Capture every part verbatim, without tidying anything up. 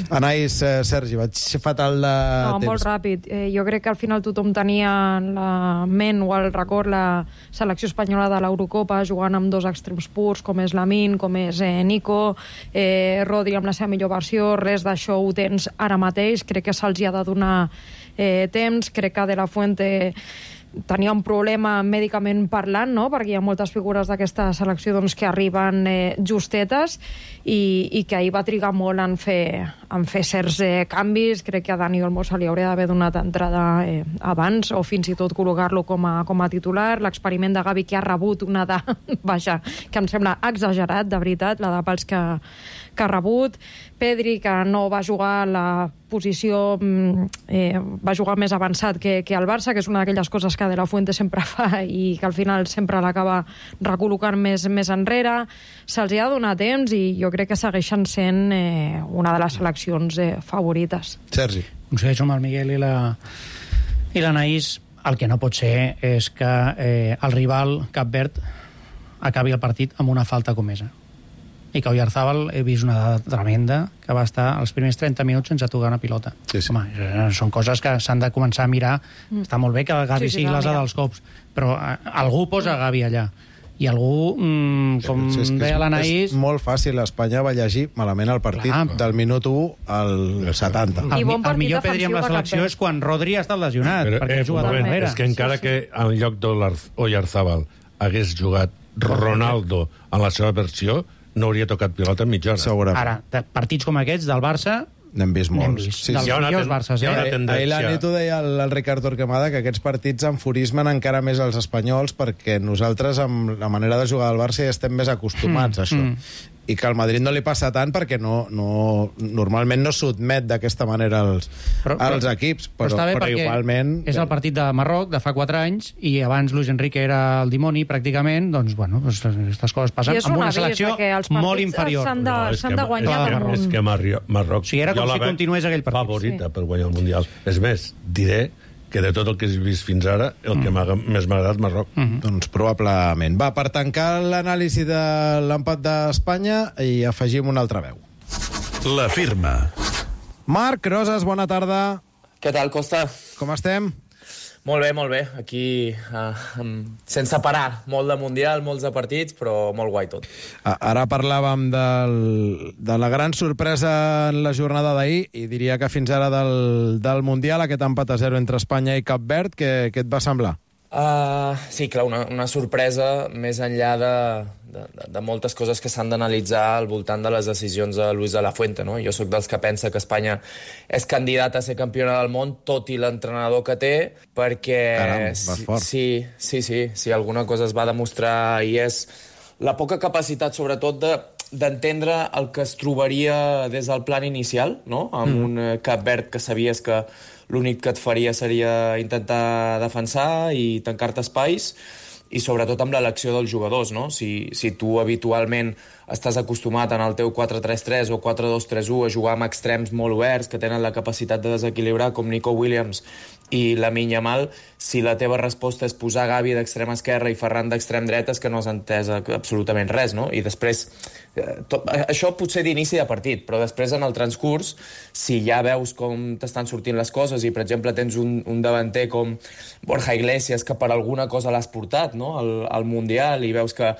Anais, eh, Sergi, vaig fatal de No, temps. molt ràpid. Eh, jo crec que al final tothom tenia en la ment o al record la selecció espanyola de l'Eurocopa jugant amb dos extrems purs, com és Lamine, com és eh, Nico, eh, Rodri amb la seva millor versió. Res d'això ho tens ara mateix. Crec que se'ls ha de donar eh, temps. Crec que De La Fuente tenia un problema mèdicament parlant, no? Perquè hi ha moltes figures d'aquesta selecció doncs, que arriben eh, justetes i, i que ahir va trigar molt en fer, en fer certs eh, canvis. Crec que a Dani Olmo se li hauria d'haver donat entrada eh, abans o fins i tot col·locar-lo com a, com a titular. L'experiment de Gavi, que ha rebut una de... Vaja, que em sembla exagerat, de veritat, la de pals que, que ha rebut. Pedri, que no va jugar a la posició... Eh, va jugar més avançat que, que el Barça, que és una d'aquelles coses que De La Fuente sempre fa i que al final sempre l'acaba recol·locant més, més enrere. Se'ls ha de donar temps i jo crec que segueixen sent eh, una de les seleccions eh, favorites. Sergi. Coincideixo amb el Miguel i la i l'Anaïs. El que no pot ser és que eh, el rival Cap Verd acabi el partit amb una falta comesa. I que Oyarzábal he vist una dada tremenda que va estar els primers trenta minuts sense tocar una pilota. Sí, sí. Home, són coses que s'han de començar a mirar. Mm. Està molt bé que Gavi sí, sí, sigui l'asa dels cops, però eh, algú posa Gavi allà. I algú, mm, com Sí, és que deia és, l'Anaïs... és molt fàcil. Espanya va llegir malament el partit. Clar. Del minut u al setanta. El, I bon el partit millor Pedri amb la defensiu de Cap selecció Verd. és quan Rodri ha estat lesionat, Però, perquè eh, ha jugat moment, darrere. és que encara Sí, sí. que en lloc d'Oyarzabal hagués jugat Ronaldo en la seva versió, no hauria tocat pilota en mitja hora. Segurament. Ara, de partits com aquests del Barça, N'hem vist n'hem molts. vist. Sí, Dels sí. Hi ha una millors ten- Barças, hi ha eh? una Ahir tendència. ahir la nit ho deia el, el Ricard Torquemada, que aquests partits enfurismen encara més els espanyols perquè nosaltres, amb la manera de jugar del Barça, ja estem més acostumats Mm, a això. mm. I que al Madrid no li passa tant perquè no, no, normalment no sotmet d'aquesta manera els, Però- als però- equips, però però, està bé però perquè igualment... és el partit de Marroc de fa quatre anys i abans Luis Enrique era el dimoni pràcticament, doncs bueno, doncs, aquestes coses passen I és amb un una avís selecció que els partits molt inferior. s'han de, és s'han que- de guanyar és que- damunt. És que Marri- Marroc... Sí, era com jo la si veig continués aquell partit. favorita Sí. per guanyar el Mundial. És més, diré que de tot el que he vist fins ara, el que m'ha més m'ha agradat Marroc. Mm. Doncs probablement. Va, per tancar l'anàlisi de l'empat d'Espanya i afegim una altra veu. La firma. Marc Roses, bona tarda. Què tal, Costa? Com estem? Molt bé, molt bé. Aquí, uh, um, sense parar. Molt de Mundial, molts de partits, però molt guai tot. A- Ara parlàvem del, de la gran sorpresa en la jornada d'ahir i diria que fins ara del, del Mundial, aquest empat a zero entre Espanya i Cap Verd, què, què et va semblar? Uh, sí, clar, una, una sorpresa més enllà de, de, de moltes coses que s'han d'analitzar al voltant de les decisions de Luis de la Fuente, no? Jo sóc dels que pensa que Espanya és candidat a ser campiona del món, tot i l'entrenador que té, perquè... Caram, vas fort. Sí, sí, sí, sí, alguna cosa es va demostrar i és la poca capacitat, sobretot, de d'entendre el que es trobaria des del plan inicial, no? Amb mm. un eh, Cap Verd que sabies que l'únic que et faria seria intentar defensar i tancar-te espais, i sobretot amb l'elecció dels jugadors, no? Si, si tu habitualment estàs acostumat en el teu quatre tres tres o quatre dos tres u a jugar amb extrems molt oberts que tenen la capacitat de desequilibrar, com Nico Williams i Lamine Yamal, si la teva resposta és posar Gavi d'extrem esquerra i Ferran d'extrem dreta, és que no has entès absolutament res, no? I després, eh, tot, això potser d'inici de partit, però després en el transcurs, si ja veus com t'estan sortint les coses i, per exemple, tens un, un davanter com Borja Iglesias, que per alguna cosa l'has portat, no?, al, al Mundial, i veus que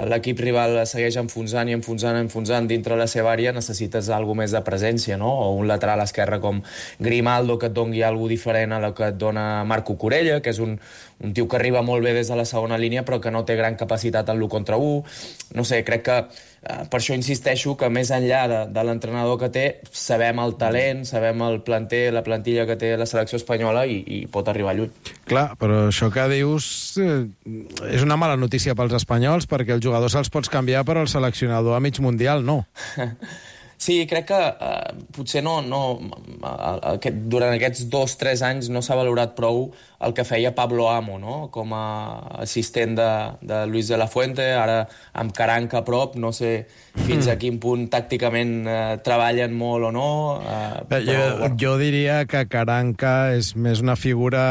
l'equip rival segueix enfonsant i enfonsant, enfonsant dintre la seva àrea, necessites alguna més de presència, no? O un lateral esquerre com Grimaldo que et doni alguna diferent a la que et dona Marco Corella, que és un, un tio que arriba molt bé des de la segona línia però que no té gran capacitat en l'u contra u. No sé, crec que eh, per això insisteixo que més enllà de, de l'entrenador que té, sabem el talent, sabem el planter, la plantilla que té la selecció espanyola i, i pot arribar lluny. Clar, però això que dius eh, és una mala notícia pels espanyols, perquè els jugadors se'ls pots canviar, però el seleccionador a mig mundial no. Sí, crec que eh, potser no, no, aquest, durant aquests dos o tres anys no s'ha valorat prou el que feia Pablo Amo, no?, com a assistent de, de Luis de la Fuente, ara amb Caranca a prop, no sé fins a quin punt tàcticament eh, treballen molt o no. Eh, però, jo, bueno. jo diria que Caranca és més una figura,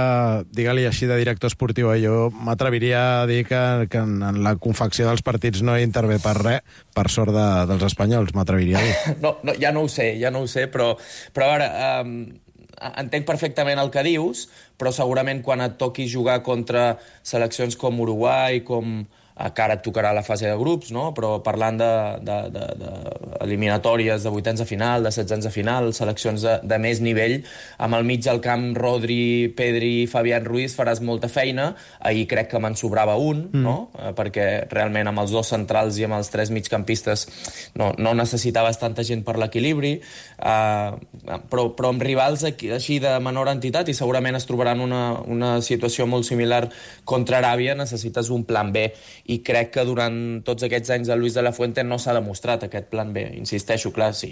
digue-li així, de director esportiu. Eh? Jo m'atreviria a dir que, que en, en la confecció dels partits no hi intervé per res, per sort de, dels espanyols, m'atreviria a dir. no, no, ja no ho sé, ja no ho sé, però, però a veure, eh, entenc perfectament el que dius, però segurament quan et toqui jugar contra seleccions com Uruguai, com que ara et tocarà la fase de grups, no? Però parlant d'eliminatòries de, de, de, de vuitens de final, de setzens de final, seleccions de, de més nivell, amb el mig del camp Rodri, Pedri i Fabián Ruiz faràs molta feina. Ahir crec que me'n sobrava un, mm. no? Perquè realment amb els dos centrals i amb els tres migcampistes no, no necessitaves tanta gent per l'equilibri, uh, però, però amb rivals aquí, així de menor entitat, i segurament es trobaran una, una situació molt similar contra Aràbia, necessites un plan B. I crec que durant tots aquests anys de Luis de la Fuente no s'ha demostrat aquest plan B. Insisteixo, clar, sí,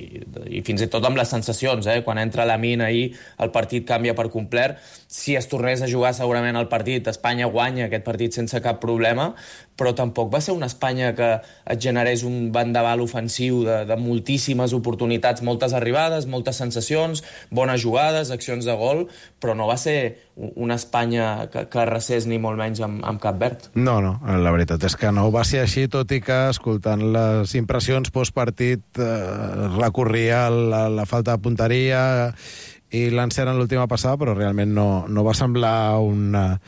i fins i tot amb les sensacions, eh? Quan entra Lamine ahir, el partit canvia per complet. Si es tornés a jugar segurament el partit, Espanya guanya aquest partit sense cap problema, però tampoc va ser una Espanya que et generés un vendaval ofensiu de, de moltíssimes oportunitats, moltes arribades, moltes sensacions, bones jugades, accions de gol, però no va ser una Espanya que, que arrasés ni molt menys amb, amb Cap Verd. No, no, la veritat és que no va ser així, tot i que, escoltant les impressions postpartit, eh, recorria la, la falta de punteria i l'encert en l'última passada, però realment no, no va semblar una,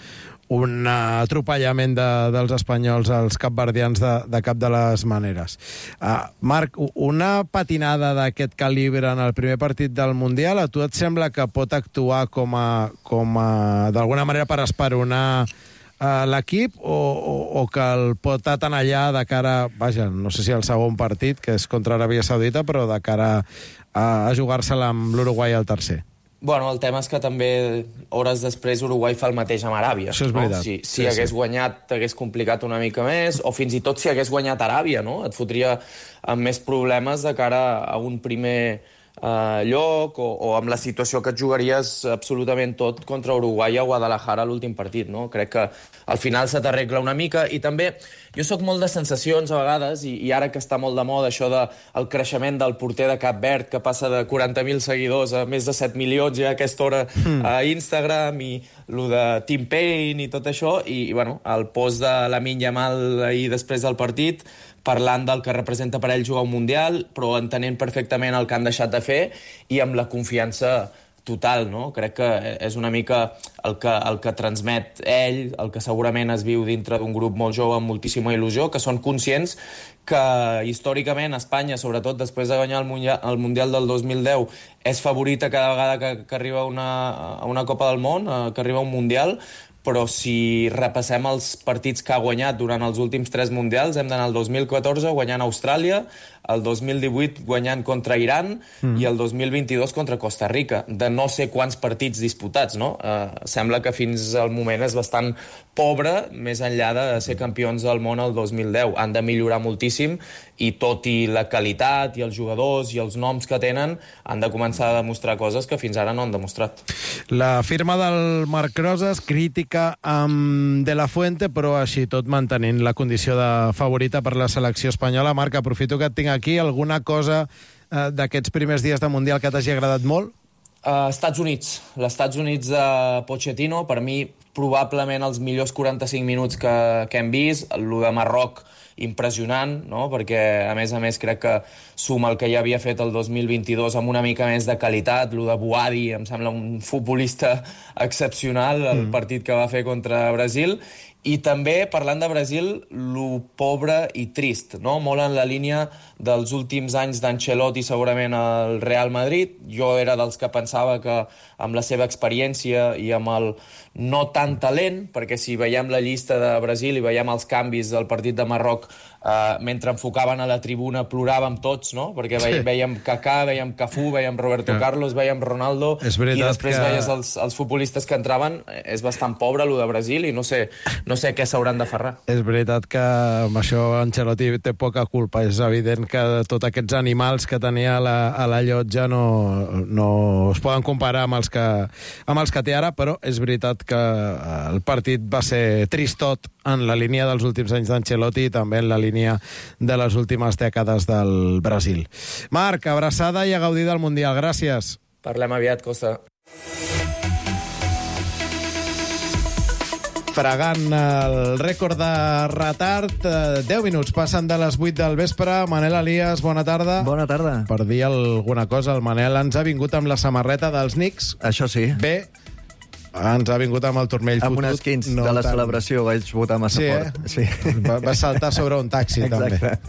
un atropellament de, dels espanyols als capverdians de, de cap de les maneres. Uh, Marc, una patinada d'aquest calibre en el primer partit del Mundial, a tu et sembla que pot actuar com a, com a d'alguna manera per esperonar uh, l'equip, o, o, o que el pot atenallar de cara, vaja, no sé si el segon partit, que és contra Aràbia Saudita, però de cara a, a jugar-se-la amb l'Uruguai al tercer? Bueno, el tema és que també hores després Uruguai fa el mateix amb Aràbia. Això és veritat. No? Si, si sí, hagués sí. guanyat, t'hagués complicat una mica més, o fins i tot si hagués guanyat Aràbia, no? Et fotria amb més problemes de cara a un primer uh, lloc, o, o amb la situació que et jugaries absolutament tot contra Uruguai a Guadalajara a l'últim partit, no? Crec que al final se t'arregla una mica, i també jo sóc molt de sensacions a vegades, i, i ara que està molt de moda això del de, creixement del porter de Cap Verd, que passa de quaranta mil seguidors a més de set milions ja a aquesta hora mm. a Instagram, i lo de Tim Payne i tot això, i, i bueno, el post de Lamine Yamal ahir després del partit, parlant del que representa per ell jugar un Mundial, però entenent perfectament el que han deixat de fer, i amb la confiança total, no? Crec que és una mica el que, el que transmet ell, el que segurament es viu dintre d'un grup molt jove amb moltíssima il·lusió, que són conscients que històricament Espanya, sobretot després de guanyar el Mundial, el Mundial del dos mil deu, és favorita cada vegada que, que arriba una, a una Copa del Món, que arriba a un Mundial, però si repassem els partits que ha guanyat durant els últims tres Mundials, hem d'anar al dos mil catorze guanyant Austràlia, el dos mil divuit guanyant contra Iran mm. i el dos mil vint-i-dos contra Costa Rica, de no sé quants partits disputats, no? Uh, sembla que fins al moment és bastant pobre, més enllà de ser campions del món el dos mil deu. Han de millorar moltíssim, i tot i la qualitat i els jugadors i els noms que tenen, han de començar a demostrar coses que fins ara no han demostrat. La firma del Marc Rosas, crítica amb De La Fuente, però així tot mantenint la condició de favorita per la selecció espanyola. Marc, aprofito que et tinc aquí. Alguna cosa eh, d'aquests primers dies de Mundial que t'hagi agradat molt? Uh, Estats Units. L'Estats Units de Pochettino, per mi, probablement els millors quaranta-cinc minuts que, que hem vist. El de Marroc, impressionant, no? Perquè, a més a més, crec que suma el que ja havia fet el dos mil vint-i-dos amb una mica més de qualitat. El de Boadi em sembla un futbolista excepcional, el mm. partit que va fer contra Brasil. I també, parlant de Brasil, lo pobre i trist, no? Molt en la línia dels últims anys d'Ancelotti, segurament al Real Madrid. Jo era dels que pensava que amb la seva experiència i amb el no tan talent, perquè si veiem la llista de Brasil i veiem els canvis del partit de Marroc, eh, mentre enfocaven a la tribuna ploràvem tots, no? Perquè ve, sí. veiem Kaká, veiem Cafú, veiem Roberto sí. Carlos, veiem Ronaldo, i després que... veies els, els futbolistes que entraven. És bastant pobre, lo de Brasil, i no sé, no sé què s'hauran de ferrar. És veritat que amb això Ancelotti té poca culpa. És evident que tots aquests animals que tenia a la, a la llotja no, no es poden comparar amb els, que, amb els que té ara, però és veritat que el partit va ser tristot en la línia dels últims anys d'Ancelotti i també en la línia de les últimes dècades del Brasil. Marc, abraçada i a gaudir del Mundial. Gràcies. Parlem aviat, Costa. fregant el rècord de retard. deu minuts passen de les vuit del vespre. Manel Elias, bona tarda. Bona tarda. Per dir alguna cosa, el Manel ens ha vingut amb la samarreta dels Knicks. Això sí. Bé, ens ha vingut amb el turmell amb fotut. Amb uns quins no de la tant. celebració vaig votar massa sí, fort. Eh? Sí, va, va saltar sobre un taxi, Exacte. també.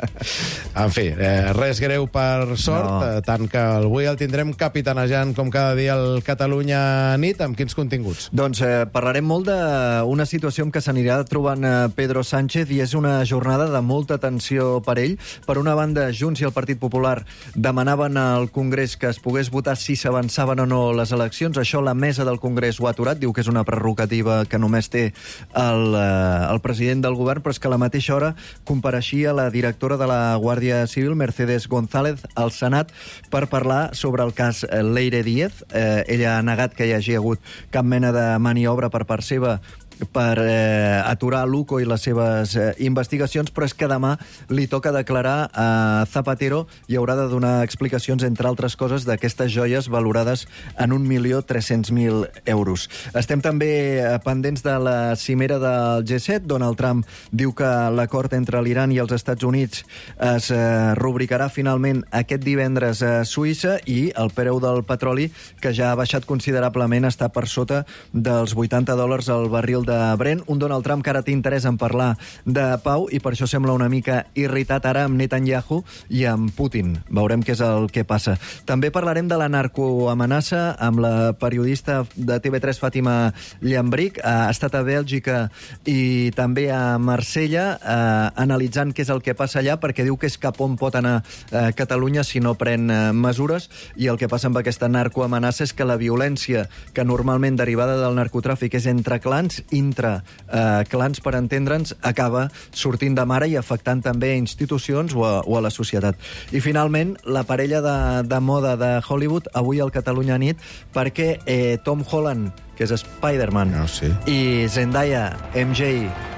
En fi, eh, res greu per sort, No. eh, tant que avui el tindrem capitanejant com cada dia el Catalunya nit. Amb quins continguts? Doncs eh, parlarem molt d'una situació en què s'anirà trobant eh, Pedro Sánchez, i és una jornada de molta tensió per ell. Per una banda, Junts i el Partit Popular demanaven al Congrés que es pogués votar si s'avançaven o no les eleccions. Això la mesa del Congrés ho ha aturat, diu que és una prerrogativa que només té el, eh, el president del govern, però és que a la mateixa hora compareixia la directora de la Guàrdia Civil, Mercedes González, al Senat per parlar sobre el cas Leire Díez. Eh, ella ha negat que hi hagi hagut cap mena de maniobra per part seva per eh, aturar l'U C O i les seves eh, investigacions, però és que demà li toca declarar a Zapatero i haurà de donar explicacions, entre altres coses, d'aquestes joies valorades en un milió tres-cents mil euros. Estem també eh, pendents de la cimera del G set. Donald Trump diu que l'acord entre l'Iran i els Estats Units es eh, rubricarà finalment aquest divendres a Suïssa, i el preu del petroli, que ja ha baixat considerablement, està per sota dels vuitanta dòlars al barril de Brent. Un Donald Trump que ara té interès en parlar de pau i per això sembla una mica irritat ara amb Netanyahu i amb Putin. Veurem què és el que passa. També parlarem de la narcoamenaça amb la periodista de T V tres, Fàtima Llambric. Ha estat a Bèlgica i també a Marsella eh, analitzant què és el que passa allà, perquè diu que és cap on pot anar eh, Catalunya si no pren eh, mesures, i el que passa amb aquesta narcoamenaça és que la violència que normalment derivada del narcotràfic és entre clans, intra eh, clans, per entendre'ns, acaba sortint de mare i afectant també a institucions o a, o a la societat. I finalment, la parella de, de moda de Hollywood, avui al Catalunya nit, perquè eh, Tom Holland, que és Spider-Man, No, sí. i Zendaya, M J,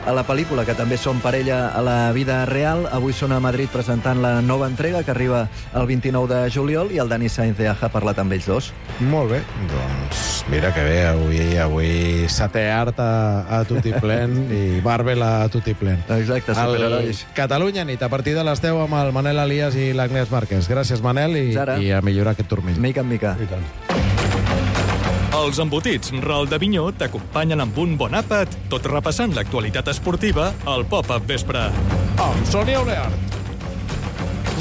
a la pel·lícula, que també són parella a la vida real, avui són a Madrid presentant la nova entrega, que arriba el vint-i-nou de juliol, i el Dani Sainz de Aja ha parlat amb ells dos. Molt bé, doncs mira que bé, avui, avui setè art a, a Tutiplen i Marvel a Tutiplen. Exacte, superherois. El Catalunya nit, a partir de les deu amb el Manel Elias i l'Agnès Márquez. Gràcies, Manel, i, i a millorar aquest turmell. Mica en mica. I tant. Els embotits Ral de Vinyó t'acompanyen amb un bon àpat, tot repassant l'actualitat esportiva al Pop-Up Vespre. Amb Sònia Oleart.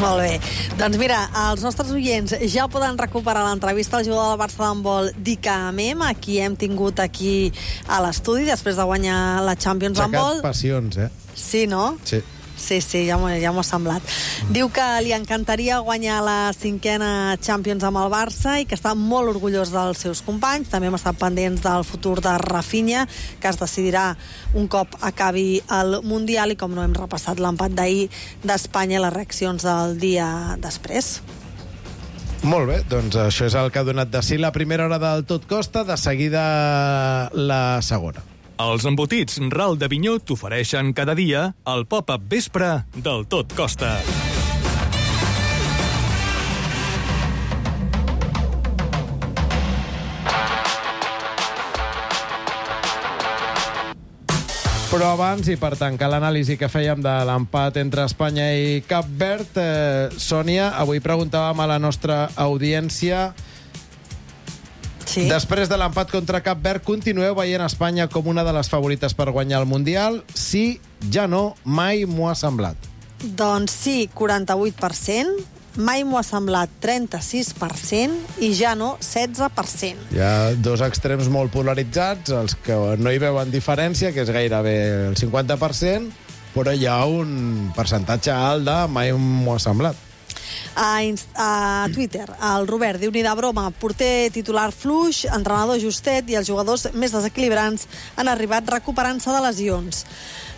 Molt bé. Doncs mira, els nostres oients ja poden recuperar l'entrevista al jugador del Barça d'handbol Dicamem, a qui hem tingut aquí a l'estudi després de guanyar la Champions d'handbol. Aixecat passions, eh? Sí, no? Sí. Sí, sí, ja m'ho ja m'ho ha semblat. Diu que li encantaria guanyar la cinquena Champions amb el Barça i que està molt orgullós dels seus companys. També hem estat pendents del futur de Rafinha, que es decidirà un cop acabi el Mundial, i com no hem repassat l'empat d'ahir d'Espanya i les reaccions del dia després. Molt bé, doncs això és el que ha donat de si la primera hora del Tot Costa, de seguida la segona. Els embotits Ral de Vinyó t'ofereixen cada dia el Pop-Up Vespre del Tot Costa. Però abans, i per tancar l'anàlisi que fèiem de l'empat entre Espanya i Cap Verd, eh, Sònia, avui preguntàvem a la nostra audiència: Sí. després de l'empat contra Cap Verd, continueu veient Espanya com una de les favorites per guanyar el Mundial? Sí, ja no, mai m'ho ha semblat. Doncs sí, quaranta-vuit per cent, mai m'ho ha semblat trenta-sis per cent i ja no, setze per cent. Hi ha dos extrems molt polaritzats, els que no hi veuen diferència, que és gairebé el cinquanta per cent, però hi ha un percentatge alt de mai m'ho ha semblat. A, a Twitter, el Robert diu: ni de broma, porter titular fluix, entrenador justet i els jugadors més desequilibrants han arribat recuperant-se de lesions.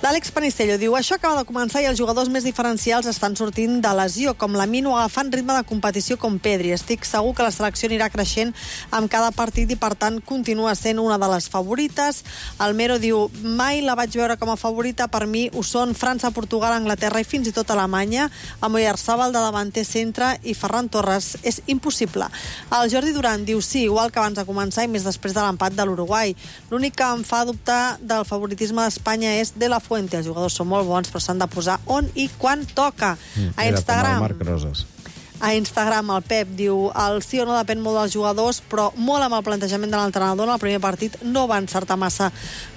L'Àlex Panistello diu: això acaba de començar i els jugadors més diferencials estan sortint de lesió, com la Mino, agafant ritme de competició com Pedri. Estic segur que la selecció anirà creixent amb cada partit i, per tant, continua sent una de les favorites. El Mero diu: mai la vaig veure com a favorita, per mi ho són França, Portugal, Anglaterra i fins i tot Alemanya. Amb Oyarzabal de davanter centre i Ferran Torres és impossible. El Jordi Duran diu sí, igual que abans de començar i més després de l'empat de l'Uruguai. L'únic que em fa dubtar del favoritisme d'Espanya és De La Fuente. Els jugadors són molt bons, però s'han de posar on i quan toca. A Instagram... Marc Roses. A Instagram el Pep diu el sí o no depèn molt dels jugadors, però molt amb el plantejament de l'entrenador. En el primer partit no va encertar massa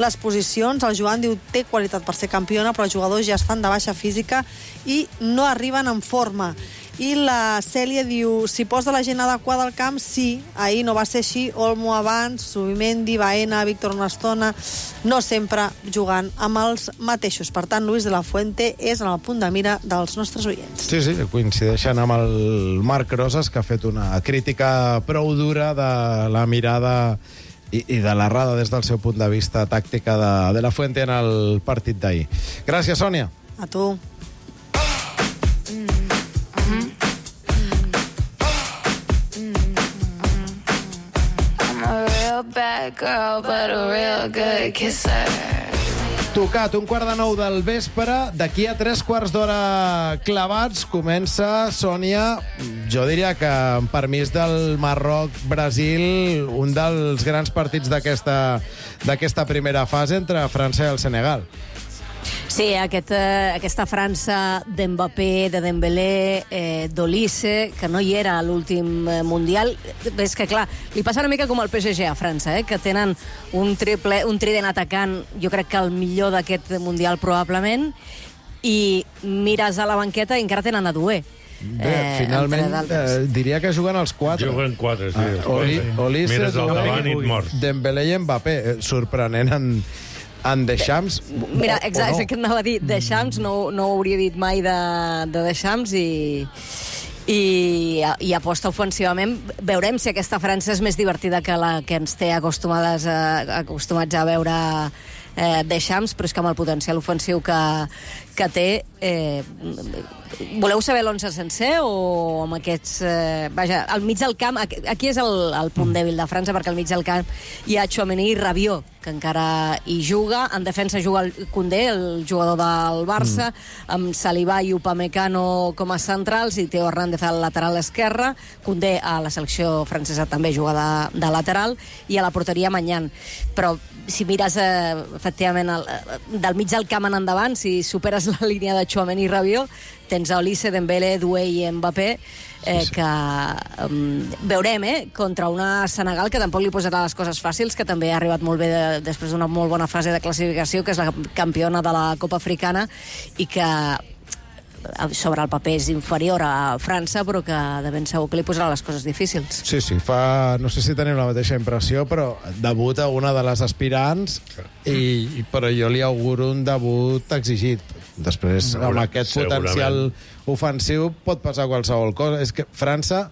les posicions. El Joan diu té qualitat per ser campiona, però els jugadors ja estan de baixa física i no arriben en forma. I la Cèlia diu si posa la gent adequada al camp, sí. Ahir no va ser així. Olmo abans, Subimendi, Baena, Víctor una estona, no sempre jugant amb els mateixos. Per tant, Luis de la Fuente és en el punt de mira dels nostres oients. Sí, sí, coincideixen amb el Marc Roses, que ha fet una crítica prou dura de la mirada i, i de l'errada des del seu punt de vista tàctica de, de la Fuente en el partit d'ahir. Gràcies, Sònia. A tu. Bad girl, but a real good kisser. Tocat, un quart de nou del vespre. D'aquí a tres quarts d'hora clavats comença, Sònia, jo diria que amb permís del Marroc-Brasil, un dels grans partits d'aquesta d'aquesta primera fase entre França i el Senegal. Sí, aquest, eh, aquesta França d'Mbappé, de Dembélé, eh, d'Olise, que no hi era a l'últim eh, Mundial. És que, clar, li passa una mica com al P S G a França, eh, que tenen un triple, un trident atacant, jo crec que el millor d'aquest Mundial probablement, i mires a la banqueta i encara tenen a Doué. Bé, eh, finalment eh, diria que juguen els quatre. Juguen quatre, sí. Ah, Oli, Olise, Doué, Dembélé i Mbappé. Eh, sorprenent en... en Deschamps... Mira, exacte, no? És que anava a dir, Deschamps, no, no ho hauria dit mai de, de Deschamps, i, i, i aposta ofensivament. Veurem si aquesta França és més divertida que la que ens té acostumades a, acostumats a veure eh, Deschamps, però és que amb el potencial ofensiu que, que té... Eh, voleu saber l'onze sencer o amb aquests... Eh, vaja, al mig del camp, aquí és el, el punt dèbil de França, perquè al mig del camp hi ha Tchouaméni i Rabiot, que encara hi juga. En defensa juga el Koundé, el jugador del Barça, mm. amb Saliba i Upamecano com a centrals i Teo Hernández al lateral esquerre. Koundé a la selecció francesa també juga de, de lateral, i a la porteria Maignan. Però si mires eh, efectivament el, del mig del camp en endavant, si superes la línia de Tchouaméni i Rabiot, tens a Olise, Dembélé, Doué i Mbappé, eh, sí, sí. que um, veurem, eh, contra una Senegal que tampoc li posarà les coses fàcils, que també ha arribat molt bé de, després d'una molt bona fase de classificació, que és la campiona de la Copa Africana, i que sobre el paper és inferior a França, però que de ben segur que li posarà les coses difícils. Sí, sí, fa... no sé si tenim la mateixa impressió, però debuta una de les aspirants, i, però jo li auguro un debut exigit. Després, amb aquest potencial ofensiu, pot passar qualsevol cosa. És que França,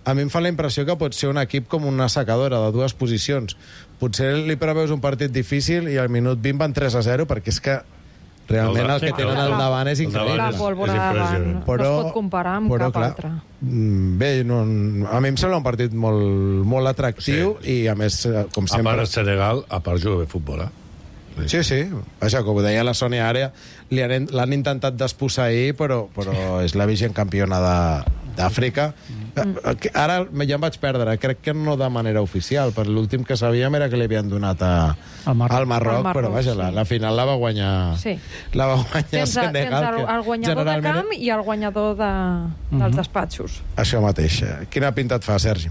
a mi em fa la impressió que pot ser un equip com una secadora de dues posicions. Potser li preveus un partit difícil i al minut vint van tres a zero, perquè és que realment el que tenen al davant és increïble. La pólvora davant no es pot comparar amb però, cap clar, altre. Bé, no, a mi em sembla un partit molt, molt atractiu, sí, i a més, com sempre... A part el Senegal, a part juga bé futbol, eh? Sí, sí. Vaja, com ho deia la Sònia ara, l'han intentat desposseir, però, però és la vigent campiona d'Àfrica. Mm. Ara ja em vaig perdre. Crec que no de manera oficial, per l'últim que sabíem era que li havien donat a, al Marroc, al Marroc, Marroc, però vaja, sí. la, la final la va guanyar, sí. la va guanyar tens, Senegal. Tens el, el guanyador generalment... de camp i el guanyador de, dels uh-huh. despatxos. Això mateix. Quina pinta et fa, Sergi?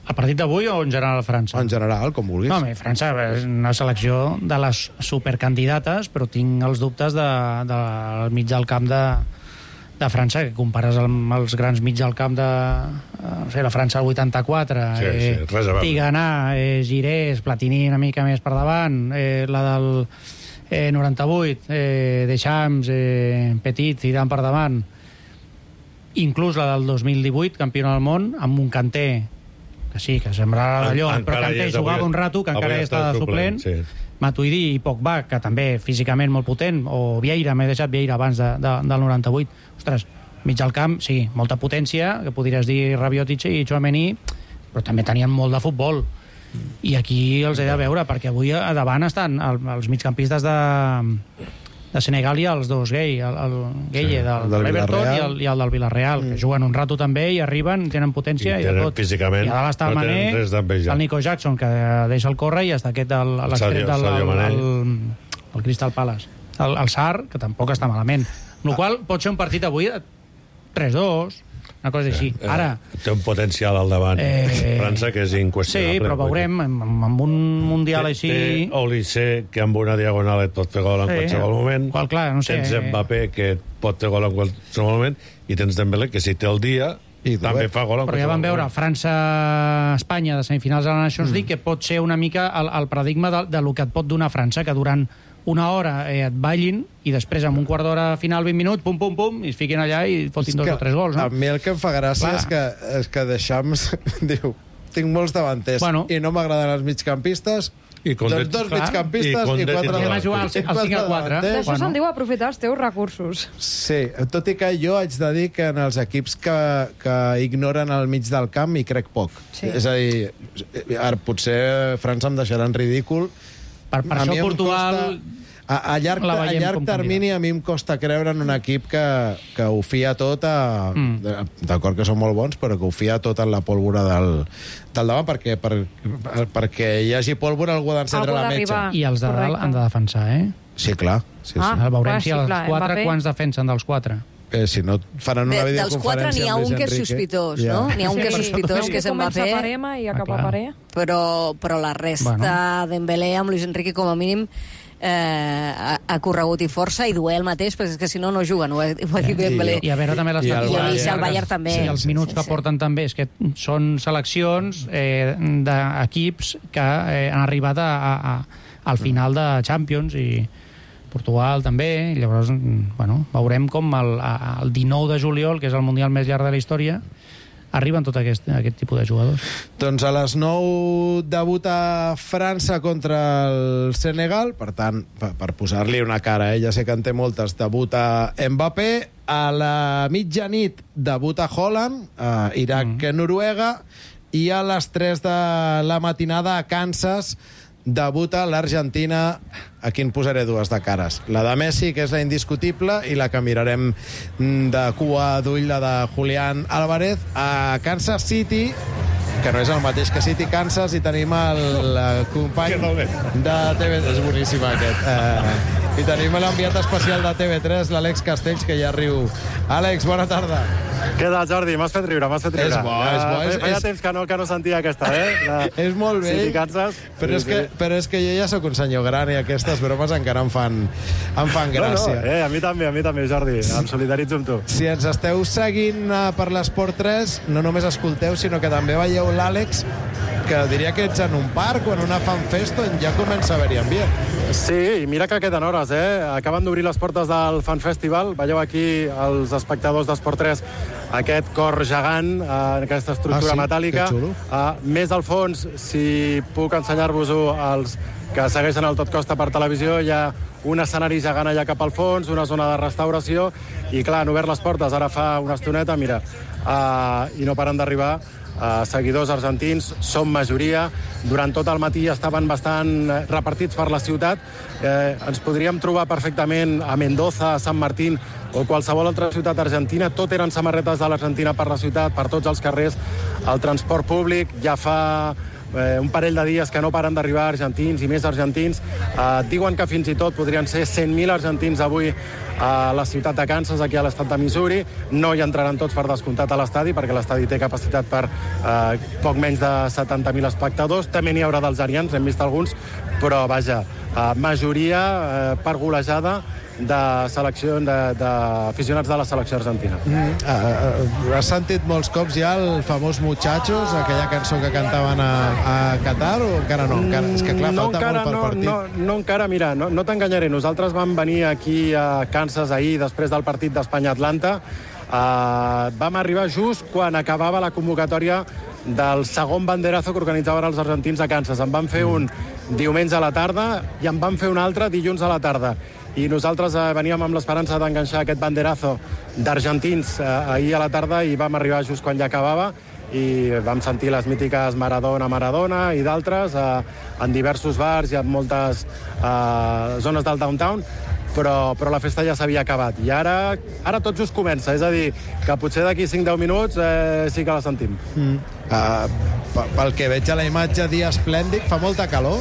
El partit d'avui o en general França? En general, com vulguis. No, bé, França és una selecció de les supercandidates, però tinc els dubtes de, de, del mig del camp de, de França, que compares amb els grans mig del camp de no sé, la França del vuitanta-quatre, sí, eh, sí, Tigana, eh, Girés, Platini una mica més per davant, eh, la del eh, noranta-vuit, eh, Deschamps, eh, Petit, Zidane per davant, inclús la del dos mil divuit, campiona del món, amb un Kanté que sí, que sembrarà d'allò, però Kanté ja jugava un rato, que encara ja està de suplent, sí. Matuidi i Pogba, que també físicament molt potent, o Vieira, m'he deixat Vieira abans de, de, del noranta-vuit. Ostres, mig al camp, sí, molta potència, que podries dir Rabiot i Tchouaméni, però també tenien molt de futbol. I aquí els he de veure, perquè avui a davant estan els migcampistes de, de Senegal hi ha els dos gai, el, el Gueye sí, del, del Everton i el, i el del Villarreal, mm. que juguen un rato també i arriben, tenen potència i, i de tot. Físicament I a dalt està el no Mané, el Nico Jackson, que deixa el córrer, i està aquest, el, el, Sadio, del, Sadio el, Mané. el, el Crystal Palace. El, el Sar, que tampoc està malament. Amb la qual pot ser un partit avui de tres dos, una cosa així. Eh, Ara... Té un potencial al davant. Eh, França, que és inqüestionable. Sí, però veurem, amb, amb un mundial té, així... Té Olise, que amb una diagonal et pot fer gol en sí, qualsevol moment. Qual, clar, no sé, tens eh... Mbappé, que et pot fer gol en qualsevol moment. I tens Dembélé, que si té el dia... I també fa gol en però ja vam veure França-Espanya de semifinals de la Nations League, mm. que pot ser una mica el, el paradigma de, de lo que et pot donar França, que durant una hora eh, et ballin i després amb un quart d'hora final, vint minuts, pum, pum, pum, i es fiquin allà i fotin dos o tres gols. No? A mi el que em fa gràcia és que, és que Deschamps diu, tinc molts davanters bueno, i no m'agraden els migcampistes, i doncs dos migcampistes i, i quatre davanters. cinc a quatre. D'això se'n diu aprofitar els teus recursos. Sí, tot i que jo haig de dir que en els equips que, que ignoren el mig del camp hi crec poc. Sí. És a dir, ara potser França em deixarà en ridícul. Per, per això Portugal... Costa, a, a llarg, a llarg termini a mi em costa creure en un equip que, que ho fia tot a... Mm. D'acord que són molt bons, però que ho fia tot en la pólvora del, del davant, perquè, per, perquè hi hagi pólvora algú ha d'encendre la metxa. I els de dalt han de defensar, eh? Sí, clar. Sí, sí. Ah, veurem clar, si els sí, clar, quatre, Mbappé. Quants defensen dels quatre? Eh, si no faran una de, videoconferència dels quatre n'hi ha un que és sospitós, yeah. no? N'hi ha un que és sospitós, sí, que se'n va fer. Comença Parema i acaba ah, Paré. Però, però la resta, bueno. Dembélé amb Luis Enrique, com a mínim, eh, ha, ha corregut i força, i Dué el mateix, perquè és que si no, no juguen, ho ha, ho ha dit Dembélé. I, I a veure també les I, el, i, i el Bayern també. Sí, els minuts sí, sí, que porten sí. també, és que són seleccions eh, d'equips que eh, han arribat a, a, a, al final de Champions i Portugal també, i llavors bueno, veurem com el, el dinou de juliol, que és el mundial més llarg de la història, arriben tot aquest, aquest tipus de jugadors. Doncs a les nou debuta França contra el Senegal, per tant, per, per posar-li una cara, eh? Ja sé que en té moltes, debuta Mbappé, a la mitjanit debuta Haaland, a Iraq-Noruega, mm. i a les tres de la matinada a Kansas debuta l'Argentina. Aquí en posaré dues de cares. La de Messi, que és la indiscutible, i la que mirarem de cua d'ull, la de Julián Álvarez. A Kansas City, que no és el mateix que City Kansas, i tenim el, el company de T V tres. És boníssim aquest. Eh, I tenim l'enviat especial de T V tres, l'Àlex Castells, que ja riu. Àlex, bona tarda. Què tal, Jordi? M'has fet riure, m'has fet riure. És bo, és bo. És, feia és... temps que no, que no sentia aquesta, eh? La... és molt bé. City Kansas. Però, sí, és que, sí. però és que jo ja sóc un senyor gran i aquestes bromes encara em fan, em fan gràcia. No, no, eh, a mi també, a mi també, Jordi. Em solidaritzo amb tu. Si ens esteu seguint uh, per l'Esport tres, no només escolteu, sinó que també veieu l'Àlex, que diria que ets en un parc o en una fanfest on ja comença a haver-hi ambient. Sí, i mira que queden hores, eh? Acaben d'obrir les portes del Fan Festival. Veieu aquí els espectadors d'Esport tres aquest cor gegant, eh, aquesta estructura ah, sí? metàl·lica. Eh, més al fons, si puc ensenyar-vos-ho als que segueixen el Tot Costa per televisió, hi ha un escenari gegant allà cap al fons, una zona de restauració, i clar, han obert les portes ara fa una estoneta, mira, eh, i no paren d'arribar. Uh, seguidors argentins, som majoria. Durant tot el matí estaven bastant repartits per la ciutat. Eh, ens podríem trobar perfectament a Mendoza, a Sant Martín o qualsevol altra ciutat argentina. Tot eren samarretes de l'Argentina per la ciutat, per tots els carrers. El transport públic ja fa eh, un parell de dies que no paren d'arribar argentins i més argentins. Eh, diuen que fins i tot podrien ser cent mil argentins avui a la ciutat de Kansas, aquí a l'estat de Missouri. No hi entraran tots per descomptat a l'estadi, perquè l'estadi té capacitat per eh, poc menys de setanta mil espectadors. També n'hi haurà dels arians, hem vist alguns, però vaja, eh, majoria eh, per golejada de selecció d'aficionats de, de la selecció argentina. Mm, uh, uh, has sentit molts cops ja el famós Muchachos, aquella cançó que cantaven a, a Qatar, o encara no? Encara, és que clar, no, falta encara, molt per no, partit. No, no encara, mira, no, no t'enganyaré. Nosaltres vam venir aquí a Kansas ahir, després del partit d'Espanya-Atlanta. Uh, vam arribar just quan acabava la convocatòria del segon banderazo que organitzaven els argentins a Kansas. En van fer un diumenge a la tarda i en van fer un altre dilluns a la tarda. I nosaltres eh, veníem amb l'esperança d'enganxar aquest banderazo d'argentins eh, ahir a la tarda, i vam arribar just quan ja acabava, i vam sentir les mítiques Maradona, Maradona i d'altres eh, en diversos bars i en moltes eh, zones del downtown. però, però la festa ja s'havia acabat. I ara, ara tot just comença, és a dir, que potser d'aquí cinc a deu minuts eh, sí que la sentim. Mm. Uh, pel que veig a la imatge, dia esplèndid, fa molta calor?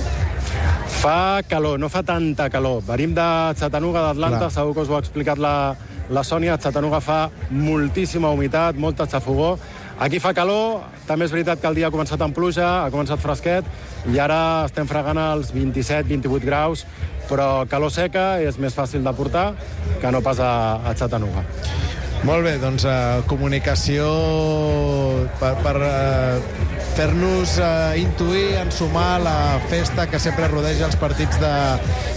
Fa calor, no fa tanta calor. Venim de Chattanooga, d'Atlanta, Clar. segur que us ho ha explicat la, la Sònia. A Chattanooga fa moltíssima humitat, molta xafogó. Aquí fa calor, també és veritat que el dia ha començat amb pluja, ha començat fresquet, i ara estem fregant els vint-i-set vinti-vuit graus, però calor seca és més fàcil de portar que no pas a, a Chattanooga. Molt bé, doncs uh, comunicació per, per uh, fer-nos uh, intuir, ensumar la festa que sempre rodeja els partits de,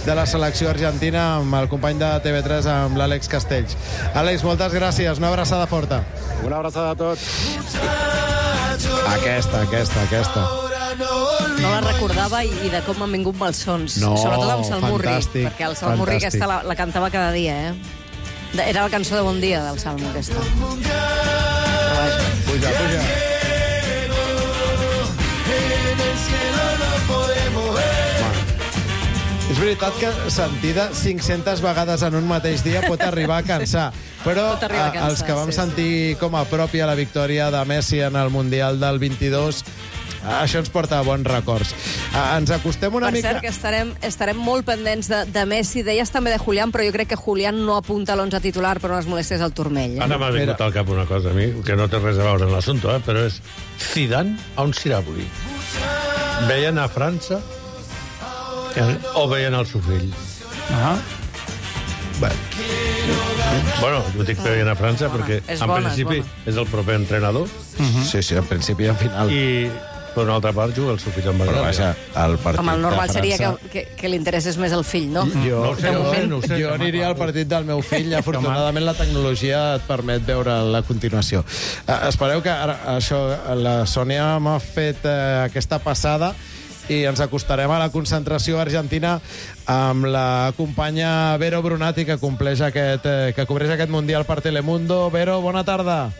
de la selecció argentina amb el company de T V tres, amb l'Àlex Castells. Àlex, moltes gràcies, una abraçada forta. Una abraçada a tots. Aquesta, aquesta, aquesta. No la recordava i, i de com m'han vingut malsons. No, sobretot amb Salmurri, fantàstic, perquè el Salmurri fantàstic. aquesta la, la cantava cada dia, eh? Era la cançó de Bon Dia del Salmo, aquesta. Puja, puja. És veritat que sentida cinc-centes vegades en un mateix dia pot arribar a cansar, però Pot arribar a cansar, els que vam sí, sentir com a pròpia la victòria de Messi en el Mundial del vint-i-dos, això ens porta a bons records. Ens acostem una per mica... cert, que estarem, estarem molt pendents de, de Messi. Deies també de Julián, però jo crec que Julián no apunta a l'onze titular per unes molèsties al turmell. Eh? Ara m'ha vingut al cap una cosa a mi, que no té res a veure amb l'assumpte, eh? Però és Zidane on serà avui? Veien a França o veien el seu fill? Ah. Bueno, bueno ho dic veien a França perquè és en bona, principi és és el proper entrenador. Uh-huh. Sí, sí, en principi i en final. I per una altra part juga el seu fill amb Però vaja, el partit Home, el normal de seria França... que, que, que li interessés més el fill, no? Jo, No ho sé, jo, no ho sé, no ho sé. jo aniria al partit del meu fill. Afortunadament la tecnologia et permet veure la continuació. Uh, espereu que ara, això, la Sònia m'ha fet uh, aquesta passada i ens acostarem a la concentració argentina amb la companya Vero Brunati, que compleix aquest, eh, que cobreix aquest Mundial per Telemundo. Vero, bona tarda.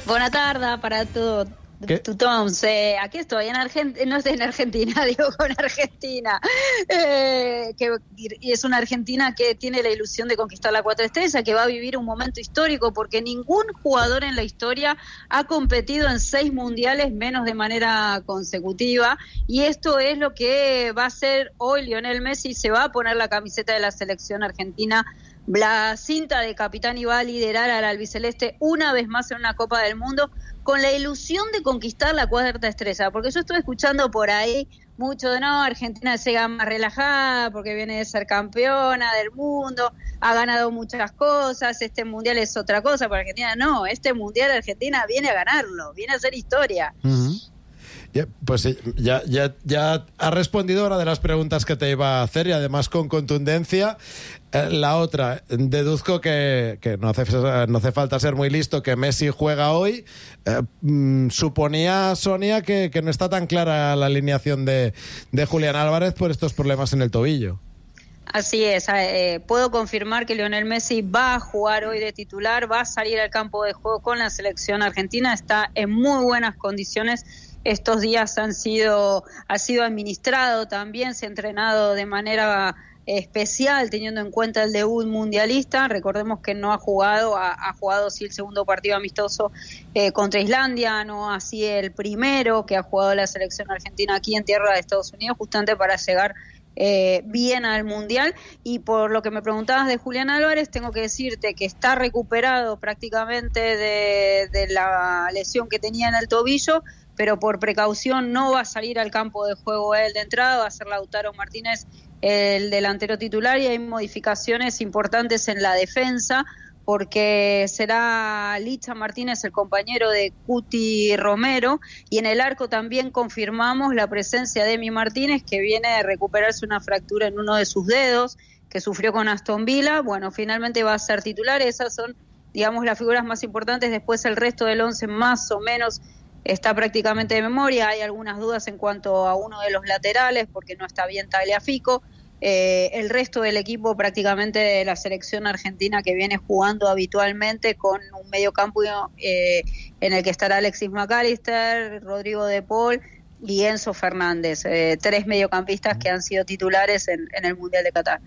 Bona tarda para todos. ¿Qué? Tothom, eh, aquí estoy en Argentina, no estoy en Argentina, digo con Argentina, eh, que y es una Argentina que tiene la ilusión de conquistar la cuatro estrellas, que va a vivir un momento histórico porque ningún jugador en la historia ha competido en seis mundiales menos de manera consecutiva, y esto es lo que va a hacer hoy Lionel Messi. Se va a poner la camiseta de la selección argentina, la cinta de capitán, y va a liderar al albiceleste una vez más en una Copa del Mundo con la ilusión de conquistar la cuarta estrella, porque yo estuve escuchando por ahí mucho de no, Argentina llega más relajada porque viene de ser campeona del mundo, ha ganado muchas cosas, este mundial es otra cosa, para Argentina no, este mundial Argentina viene a ganarlo, viene a hacer historia. Uh-huh. Ya, pues ya, ya, ya ha respondido una de las preguntas que te iba a hacer, y además con contundencia. Eh, la otra, deduzco que, que no, hace, no hace falta ser muy listo, que Messi juega hoy. Eh, mm, suponía, Sonia, que, que no está tan clara la alineación de, de Julián Álvarez por estos problemas en el tobillo. Así es, eh, puedo confirmar que Lionel Messi va a jugar hoy de titular, va a salir al campo de juego con la selección argentina, está en muy buenas condiciones. Estos días han sido, ha sido administrado también, se ha entrenado de manera especial teniendo en cuenta el debut mundialista. Recordemos que no ha jugado, ha, ha jugado sí el segundo partido amistoso eh, contra Islandia, no así el primero que ha jugado la selección argentina aquí en tierra de Estados Unidos, justamente para llegar Eh, bien al Mundial. Y por lo que me preguntabas de Julián Álvarez, tengo que decirte que está recuperado prácticamente de, de la lesión que tenía en el tobillo, pero por precaución no va a salir al campo de juego él de entrada, va a ser Lautaro Martínez el delantero titular, y hay modificaciones importantes en la defensa, porque será Licha Martínez el compañero de Cuti Romero, y en el arco también confirmamos la presencia de Emi Martínez, que viene de recuperarse una fractura en uno de sus dedos que sufrió con Aston Villa. Bueno, finalmente va a ser titular. Esas son, digamos, las figuras más importantes. Después el resto del once más o menos está prácticamente de memoria. Hay algunas dudas en cuanto a uno de los laterales, porque no está bien Tagliafico. Eh, el resto del equipo prácticamente de la selección argentina, que viene jugando habitualmente con un mediocampo eh, en el que estará Alexis McAllister, Rodrigo de Paul, y Enzo Fernández, eh, tres mediocampistas que han sido titulares en, en el Mundial de Qatar.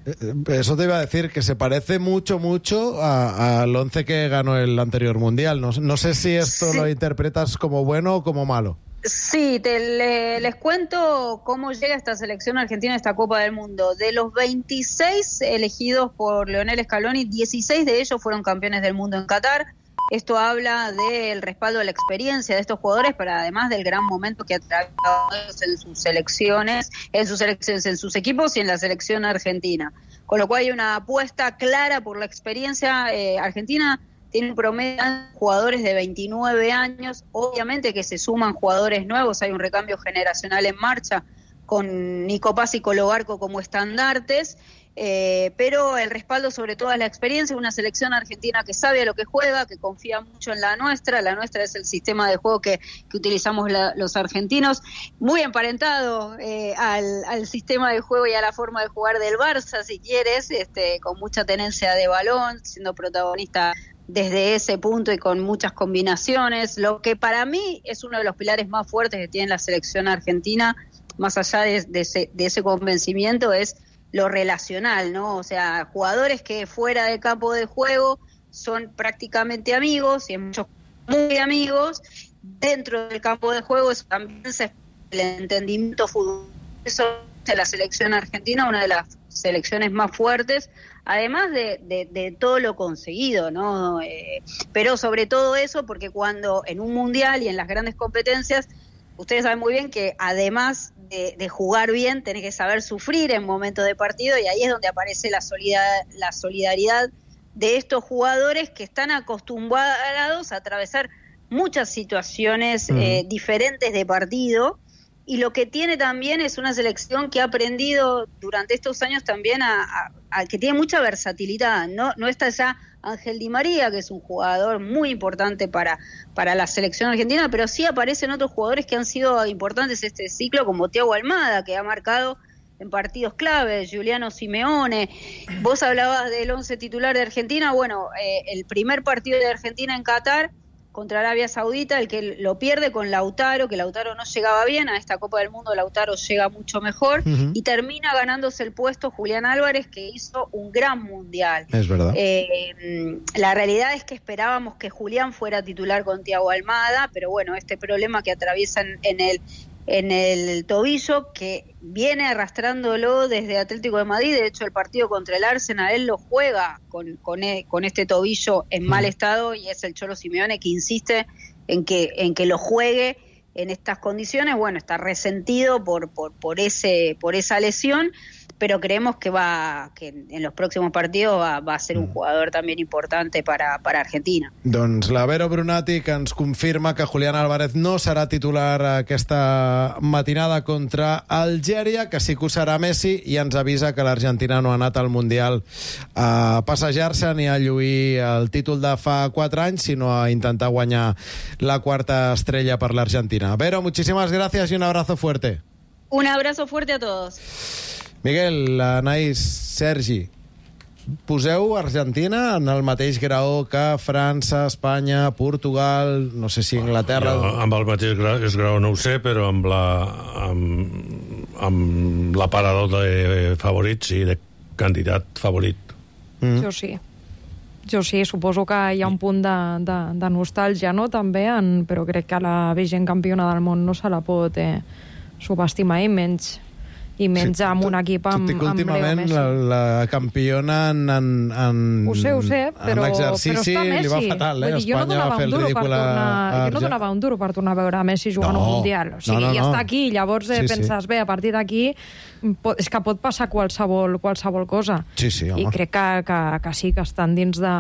Eso te iba a decir, que se parece mucho, mucho al once que ganó el anterior Mundial. No, no sé si esto sí. lo interpretas como bueno o como malo. Sí, te, le, les cuento cómo llega esta selección argentina a esta Copa del Mundo. De los veintiséis elegidos por Lionel Scaloni, dieciséis de ellos fueron campeones del mundo en Qatar. Esto habla del respaldo de la experiencia de estos jugadores, pero además del gran momento que atraviesan en sus selecciones, en sus selecciones, en sus equipos y en la selección argentina. Con lo cual hay una apuesta clara por la experiencia. eh, Argentina tiene un promedio de jugadores de veintinueve años, obviamente que se suman jugadores nuevos, hay un recambio generacional en marcha con Nico Paz y Colo Barco como estandartes. Eh, pero el respaldo sobre todo es la experiencia, una selección argentina que sabe a lo que juega, que confía mucho en la nuestra, la nuestra es el sistema de juego que, que utilizamos la, los argentinos, muy emparentado eh, al, al sistema de juego y a la forma de jugar del Barça, si quieres, este, con mucha tenencia de balón, siendo protagonista desde ese punto y con muchas combinaciones, lo que para mí es uno de los pilares más fuertes que tiene la selección argentina, más allá de, de, ese, de ese convencimiento, es lo relacional, ¿no? O sea, jugadores que fuera del campo de juego son prácticamente amigos, y en muchos muy amigos, dentro del campo de juego eso también se el entendimiento fútbol. Eso es la selección argentina, una de las selecciones más fuertes, además de, de, de todo lo conseguido, ¿no? Eh, pero sobre todo eso, porque cuando en un mundial y en las grandes competencias, ustedes saben muy bien que además de, de jugar bien, tenés que saber sufrir en momentos de partido, y ahí es donde aparece la, solidar, la solidaridad de estos jugadores que están acostumbrados a atravesar muchas situaciones mm. eh, diferentes de partido, y lo que tiene también es una selección que ha aprendido durante estos años también a, a, a que tiene mucha versatilidad, no, no está ya Ángel Di María, que es un jugador muy importante para, para la selección argentina, pero sí aparecen otros jugadores que han sido importantes este ciclo, como Thiago Almada, que ha marcado en partidos claves, Juliano Simeone. Vos hablabas del once titular de Argentina, bueno, eh, el primer partido de Argentina en Qatar contra Arabia Saudita, el que lo pierde con Lautaro, que Lautaro no llegaba bien, a esta Copa del Mundo Lautaro llega mucho mejor, uh-huh. y termina ganándose el puesto Julián Álvarez, que hizo un gran mundial. Es verdad. Eh, la realidad es que esperábamos que Julián fuera titular con Thiago Almada, pero bueno, este problema que atraviesan en el en el tobillo, que viene arrastrándolo desde Atlético de Madrid. De hecho, el partido contra el Arsenal, él lo juega con, con, e, con este tobillo en mal estado, y es el Cholo Simeone que insiste en que, en que lo juegue en estas condiciones. Bueno, está resentido por, por, por, ese, por esa lesión, pero creemos que va que en los próximos partidos va, va a ser un jugador también importante para, para Argentina. Doncs la Vero Brunati, que ens confirma que Julián Álvarez no serà titular aquesta matinada contra Algèria, que sí que ho serà Messi, i ens avisa que l'Argentina no ha anat al Mundial a passejar-se ni a lluir el títol de fa quatre anys, sinó a intentar guanyar la quarta estrella per l'Argentina. Vero, muchísimas gracias y un abrazo fuerte. Un abrazo fuerte a todos. Miguel, Anaïs, Sergi, poseu Argentina en el mateix grau que França, Espanya, Portugal, no sé si Anglaterra... Jo, amb el mateix grau, grau no ho sé, però amb la amb, amb l'aparador de favorits i de candidat favorit. Mm. Jo sí. Jo sí, suposo que hi ha un punt de, de, de nostàlgia, no?, també, en, però crec que la vigent campiona del món no se la pot eh, subestimar, i menys... i menys sí, amb un equip amb, amb últimament Leo Messi. La, la campiona en, en, en, ho sé, ho sé, però, en l'exercici però li va fatal, eh? Dir, Espanya no va fer el ridícul a... Jo no donava un duro per tornar a veure Messi jugant no, un Mundial. O sigui, no, no, no. Ja està aquí, llavors eh, sí, penses, sí. bé, a partir d'aquí és que pot passar qualsevol, qualsevol cosa. Sí, sí, home. I crec que, que, que sí, que estan dins de...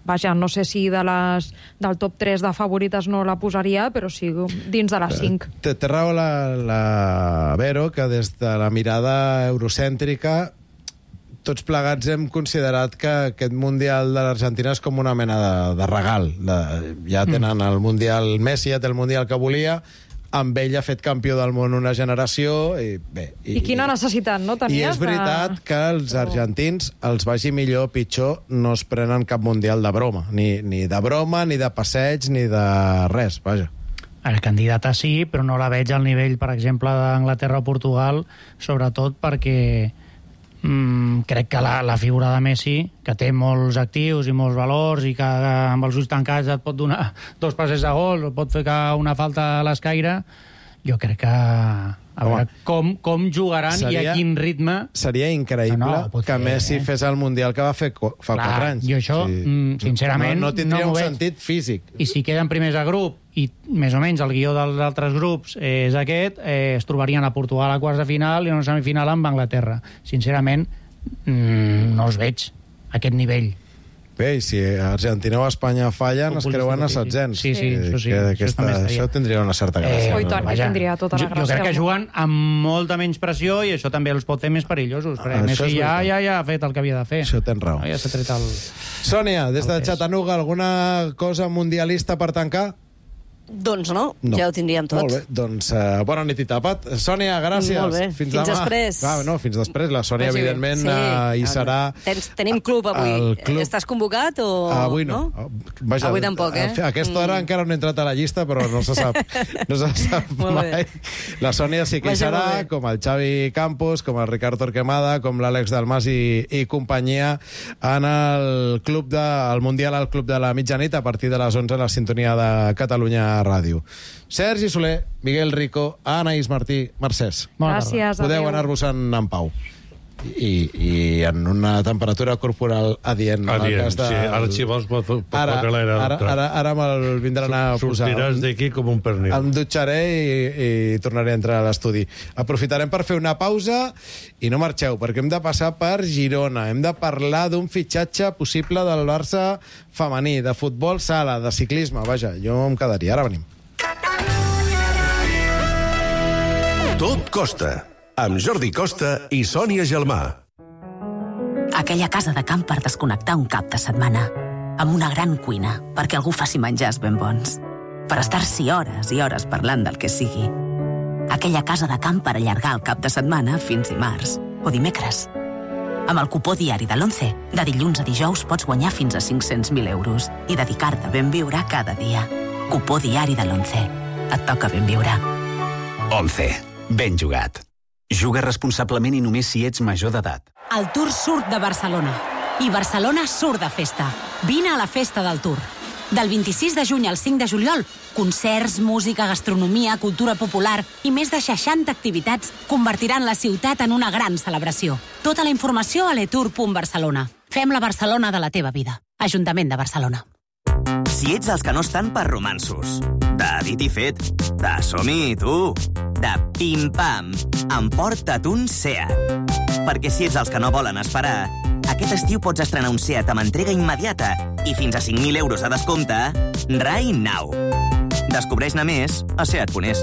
Vaja, no sé si de les, del top tres de favorites no la posaria, però sí dins de les cinc. Té, té raó la, la Vero, que des de la mirada eurocèntrica tots plegats hem considerat que aquest Mundial de l'Argentina és com una mena de, de regal. De, ja tenen el Mundial Messi, ja té el Mundial que volia, amb ell ha fet campió del món una generació, i bé... I, I quina necessitat, no, tenies? I és veritat de... que els argentins, els vagi millor o pitjor, no es prenen cap Mundial de broma. Ni, ni de broma, ni de passeig, ni de res, vaja. El candidata sí, però no la veig al nivell, per exemple, d'Anglaterra o Portugal, sobretot perquè mm, crec que la, la figura de Messi, que té molts actius i molts valors i que amb els ulls tancats et pot donar dos passes de gol, pot fer una falta a l'escaire, jo crec que a veure com, com jugaran seria, i a quin ritme. Seria increïble no, no, que fer, Messi eh? fes el Mundial que va fer fa Clar, quatre anys. Jo això, sí. sincerament, no, no tindria no un sentit físic. I si queden primers a grup i més o menys el guió dels altres grups és aquest, eh, es trobarien a Portugal a quarts de final i a una semifinal amb Anglaterra. Sincerament, mmm, no els veig a aquest nivell. Bé, i si Argentina o Espanya fallen, es creuen a setzents. Sí, sí, això sí. Aquesta, això, això tindria una certa gràcia. Eh, I tant, que tindria tota la gràcia. Jo crec que juguen amb molta menys pressió i això també els pot fer més perillosos. Perquè ah, Messi ja, ja, ja ha fet el que havia de fer. Això tens raó. Ja s'ha tret el... Sònia, des de Chattanooga, alguna cosa mundialista per tancar? Doncs no, no, ja ho tindríem tot. Molt bé, doncs uh, bona nit i tapat. Sònia, gràcies. Molt bé, fins, fins després. Ah, no, fins després. La Sònia, Vagi evidentment, sí. uh, hi serà... Tens, tenim club avui. Club... Estàs convocat o... Avui no. no? Vaja, avui tampoc, eh? A aquesta hora mm. encara no he entrat a la llista, però no se sap, no se sap mai. La Sònia sí que hi serà, com el Xavi Campos, com el Ricard Torquemada, com l'Àlex Dalmas i, i companyia en el club de, el Mundial al Club de la Mitjanit a partir de les onze a la sintonia de Catalunya Ràdio. Sergi Soler, Miguel Rico, Anaïs Martí, Mercès. Gràcies. Podeu anar-vos-en en pau. I, i en una temperatura corporal adient. Adient, de... sí. Ara si vols pot, pot ara, ara, ara, ara, ara me'l vindran a posar. Sortiràs d'aquí com un pernil. Em dutxaré i, i tornaré a entrar a l'estudi. Aprofitarem per fer una pausa i no marxeu, perquè hem de passar per Girona. Hem de parlar d'un fitxatge possible del Barça femení, de futbol sala, de ciclisme. Vaja, jo em quedaria. Ara venim. Tot costa, amb Jordi Costa i Sònia Gelmà. Aquella casa de camp per desconnectar un cap de setmana, amb una gran cuina perquè algú faci menjars ben bons, per estar-s'hi hores i hores parlant del que sigui. Aquella casa de camp per allargar el cap de setmana fins dimarts o dimecres. Amb el cupó diari de l'Once, de dilluns a dijous pots guanyar fins a cinc-cents mil euros i dedicar-te a ben viure cada dia. Cupó diari de l'Once. Et toca ben viure. Once. Ben jugat. Juga responsablement i només si ets major d'edat. El Tour surt de Barcelona. I Barcelona surt de festa. Vine a la festa del Tour. Del vint-i-sis de juny al cinc de juliol, concerts, música, gastronomia, cultura popular i més de seixanta activitats convertiran la ciutat en una gran celebració. Tota la informació a letour punt barcelona. Fem la Barcelona de la teva vida. Ajuntament de Barcelona. Si ets els que no estan per romansos, de dit i fet, de som-hi, tu, de pim-pam, emporta't un Seat. Perquè si ets els que no volen esperar, aquest estiu pots estrenar un Seat amb entrega immediata i fins a cinc mil euros a descompte right now. Descobreix-ne més a seat punt es.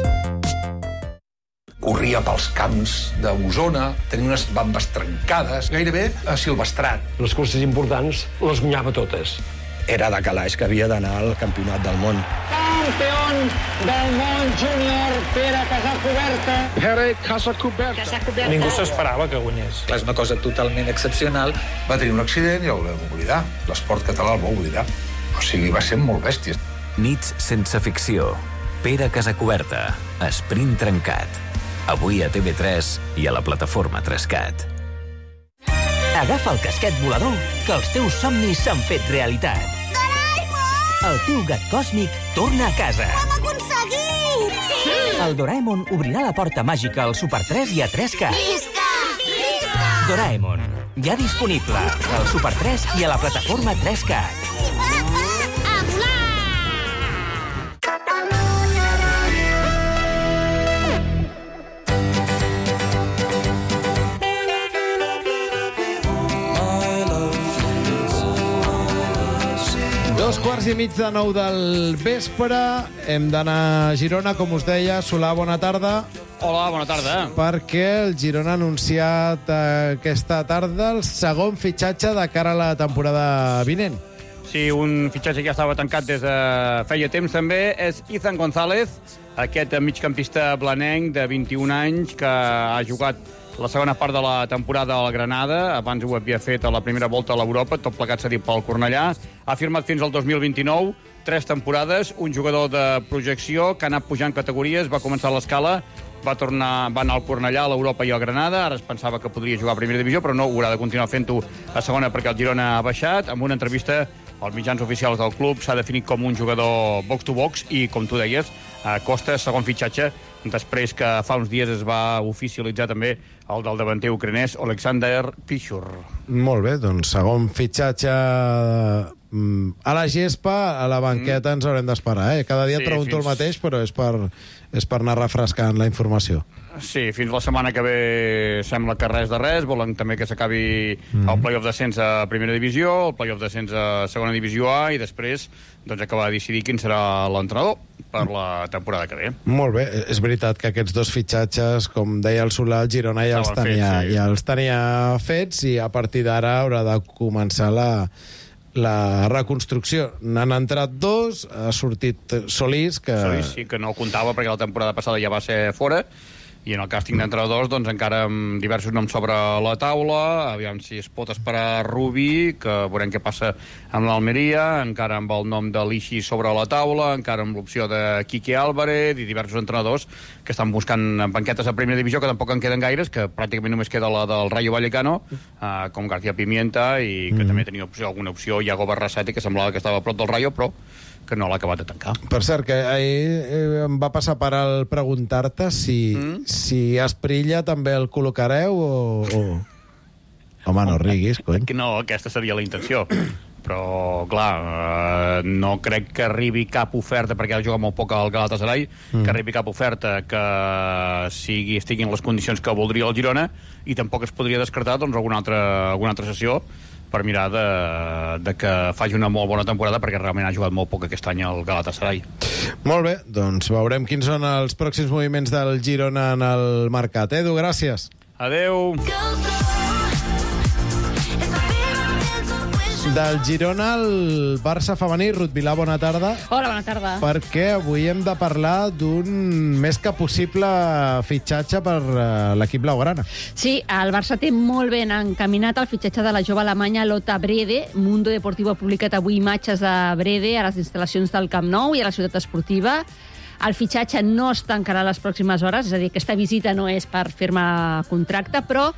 Corria pels camps d'Osona, tenia unes bambes trencades, gairebé asilvestrat. Les curses importants les guanyava totes. Era de calaix que havia d'anar al campionat del món. Campió del món júnior, Pere Casacuberta. Pere Casacuberta. Casacuberta. Ningú s'esperava que guanyés. És una cosa totalment excepcional. Va tenir un accident i el vam oblidar. L'esport català el va oblidar. O sigui, va ser molt bèstia. Nits sense ficció. Pere Casacuberta. Esprint trencat. Avui a T V tres i a la plataforma Trescat. Agafa el casquet volador, que els teus somnis s'han fet realitat. Doraemon! El teu gat còsmic torna a casa. Ho hem aconseguit! Sí! El Doraemon obrirà la porta màgica al Super tres i a Trescat. Visca! Visca! Doraemon, ja disponible al Super tres i a la plataforma Trescat. A volar! Dos quarts i mig de nou del vespre. Hem d'anar a Girona, com us deia. Solà, bona tarda. Hola, bona tarda. Perquè el Girona ha anunciat aquesta tarda el segon fitxatge de cara a la temporada vinent. Sí, un fitxatge que ja estava tancat des de feia temps també, és Izan González, aquest migcampista blanenc de vint-i-un anys que ha jugat la segona part de la temporada al Granada, abans ho havia fet a la primera volta a l'Europa, tot plegat cedit pel Cornellà, ha firmat fins al dos mil vint-i-nou, tres temporades, un jugador de projecció que ha anat pujant categories, va començar l'escala, va tornar, va anar al Cornellà, a l'Europa i al Granada, ara es pensava que podria jugar a primera divisió, però no, haurà de continuar fent-ho a segona perquè el Girona ha baixat. Amb una entrevista als mitjans oficials del club s'ha definit com un jugador box-to-box i, com tu deies, Costa, segon fitxatge, després que fa uns dies es va oficialitzar també el del davanter ucranès Oleksandr Pichur. Molt bé, doncs segon fitxatge a la gespa, a la banqueta ens haurem d'esperar, eh? Cada dia Sí, pregunto fins- el mateix, però és per, és per anar refrescant la informació. Sí, fins la setmana que ve sembla que res de res, volen també que s'acabi Mhm. el play-off d'ascens a primera divisió, el play-off d'ascens a segona divisió A i després doncs, acabar de decidir quin serà l'entrenador per la temporada que ve. Molt bé, és veritat que aquests dos fitxatges, com deia el Solà, el Girona ja els, Estaven tenia, fets, sí. ja els tenia fets i a partir d'ara haurà de començar la, la reconstrucció. N'han entrat dos, ha sortit Solís, que... Solís sí que no comptava perquè la temporada passada ja va ser fora, i en el càsting d'entrenadors doncs, encara amb diversos noms sobre la taula, aviam si es pot esperar Rubí, que veurem què passa amb l'Almeria, encara amb el nom de l'Ixi sobre la taula, encara amb l'opció de Quique Álvarez i diversos entrenadors que estan buscant banquetes a primera divisió, que tampoc en queden gaires, que pràcticament només queda la del Rayo Vallecano, eh, com García Pimienta, i que Mhm. també tenia opció, alguna opció, Iago Barrasati, que semblava que estava a prop del Rayo, però que no l'ha acabat de tancar. Per cert, que ahir eh, em va passar per al preguntar-te si, mm? si Asprilla també el col·locareu o... o... Home, no riguis, cony. Que no, aquesta seria la intenció. Però, clar, eh, no crec que arribi cap oferta, perquè ha jugat molt poc al Galatasaray, mm. que arribi cap oferta que sigui, estigui en les condicions que voldria el Girona, i tampoc es podria descartar doncs, alguna, altra, alguna altra sessió per mirar de, de que faci una molt bona temporada, perquè realment ha jugat molt poc aquest any al Galatasaray. Molt bé, doncs veurem quins són els pròxims moviments del Girona en el mercat. Edu, gràcies. Adeu. Del Girona al Barça femení, Ruth Vilà, bona tarda. Hola, bona tarda. Perquè avui hem de parlar d'un més que possible fitxatge per uh, l'equip blaugrana. Sí, el Barça té molt ben encaminat el fitxatge de la jove alemanya Lotta Brede. Mundo Deportivo ha publicat avui imatges de Brede a les instal·lacions del Camp Nou i a la ciutat esportiva. El fitxatge no es tancarà a les pròximes hores, és a dir, aquesta visita no és per firmar contracte, però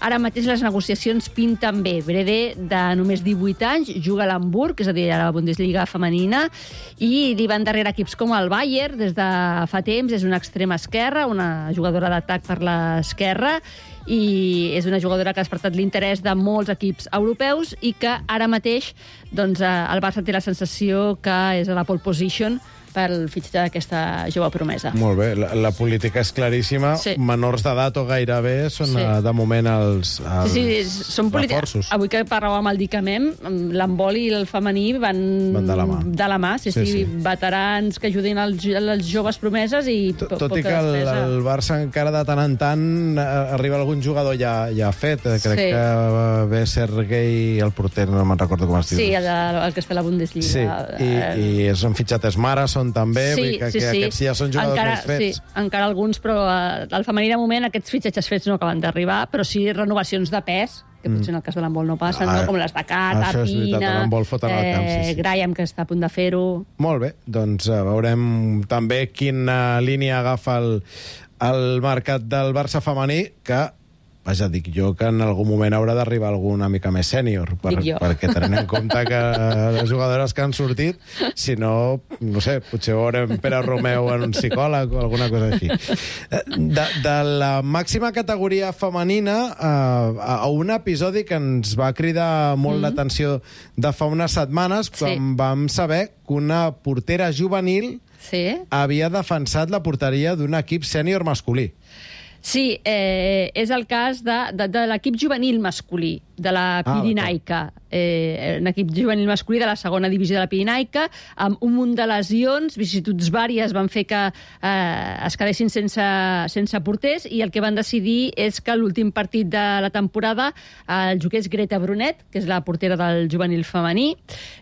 ara mateix les negociacions pinten bé. Brede, de només divuit anys, juga a l'Hamburg, és a dir, a la Bundesliga femenina, i li van darrere equips com el Bayern des de fa temps. És una extrema esquerra, una jugadora d'atac per l'esquerra, i és una jugadora que ha despertat l'interès de molts equips europeus i que ara mateix doncs, el Barça té la sensació que és a la pole position pel fitxatge d'aquesta jove promesa. Molt bé, la, la política és claríssima. Sí. Menors d'edat o gairebé són Sí. sí. de moment els, els Sí, sí, són polítiques. reforços. Avui que parlàvem amb el Dicamem, l'handbol i el femení van, Van de la mà. De la mà, sí, sí, Sí, sí. sí. Veterans que ajudin els, els joves promeses i po Tot i poca que el, despesa. el Barça encara de tant en tant eh, arriba algun jugador ja, ja fet. Eh, Crec Sí. que va ve Sergei, el porter, no me'n recordo com es diu. Sí, el, de, el que està a la Bundesliga. Sí, i, i és un fitxat Marason també, vull dir que, que aquests ja són jugadors encara, més fets. Sí, encara alguns, però eh, al femení de moment aquests fitxatges fets no acaben d'arribar, però sí renovacions de pes, que potser en el cas de l'handbol no passen, Ah, no? Com les de Cata, això és veritat, Pina, a l'handbol foten al camp, sí, sí. Graham, que està a punt de fer-ho. Molt bé, doncs uh, veurem també quina línia agafa el, el mercat del Barça femení, que, vaja, dic jo que en algun moment haurà d'arribar algú una mica més sènior, per, Dic jo. perquè tenint en compte que les jugadores que han sortit, si no, no sé, potser veurem Pere Romeu en un psicòleg o alguna cosa així. De, de la màxima categoria femenina uh, a, a un episodi que ens va cridar molt mm. l'atenció de fa unes setmanes, quan Sí. vam saber que una portera juvenil Sí. havia defensat la porteria d'un equip sènior masculí. Sí, eh, és el cas de, de, de l'equip juvenil masculí, de la Pirinaica. Eh, un equip juvenil masculí de la segona divisió de la Pirinaica, amb un munt de lesions, vicissituds vàries van fer que eh, es quedessin sense, sense porters, i el que van decidir és que l'últim partit de la temporada el jugués Greta Brunet, que és la portera del juvenil femení.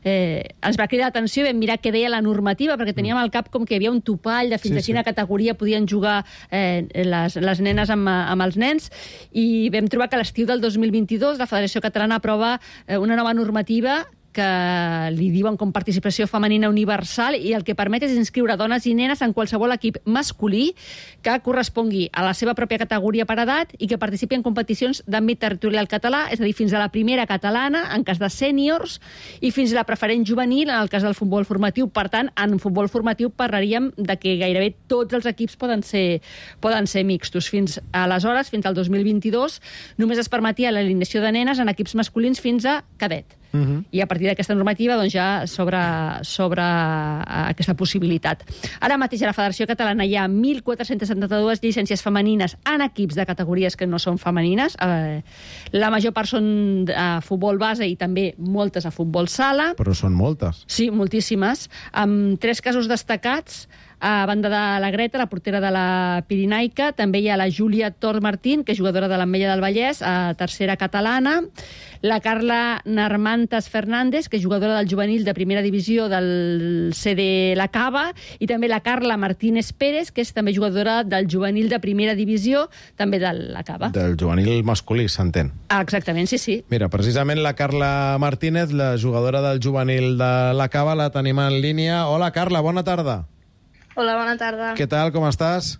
Eh, ens va cridar l'atenció i vam mirar què deia la normativa, perquè teníem al cap com que hi havia un topall de fins Sí, a quina sí. categoria podien jugar eh, les, les nenes amb, amb els nens, i vam trobar que a l'estiu del dos mil vint-i-dos la Federació Catalana aprova eh, una nova normativa que li diuen com participació femenina universal i el que permet és inscriure dones i nenes en qualsevol equip masculí que correspongui a la seva pròpia categoria per edat i que participi en competicions d'àmbit territorial català, és a dir, fins a la primera catalana, en cas de sèniors, i fins a la preferent juvenil, en el cas del futbol formatiu. Per tant, en futbol formatiu parlaríem de que gairebé tots els equips poden ser, poden ser mixtos. Fins aleshores, fins al dos mil vint-i-dos, només es permetia l'alineació de nenes en equips masculins fins a cadet. Uh-huh. I a partir d'aquesta normativa doncs, ja s'obre sobre aquesta possibilitat. Ara mateix a la Federació Catalana hi ha mil quatre-cents setanta-dues llicències femenines en equips de categories que no són femenines. Eh, la major part són a futbol base i també moltes a futbol sala. Però són moltes. Sí, moltíssimes. Amb tres casos destacats. A banda de la Greta, la portera de la Pirinaica, també hi ha la Júlia Tor Martín, que és jugadora de l'Ametlla del Vallès, a tercera catalana, la Carla Narmantas Fernández, que és jugadora del juvenil de primera divisió del C D La Cava, i també la Carla Martínez Pérez, que és també jugadora del juvenil de primera divisió, també de La Cava. Del juvenil masculí, s'entén. Ah, exactament, sí, sí. Mira, precisament la Carla Martínez, la jugadora del juvenil de La Cava, la tenim en línia. Hola, Carla, bona tarda. Hola, bona tarda. Què tal, com estàs?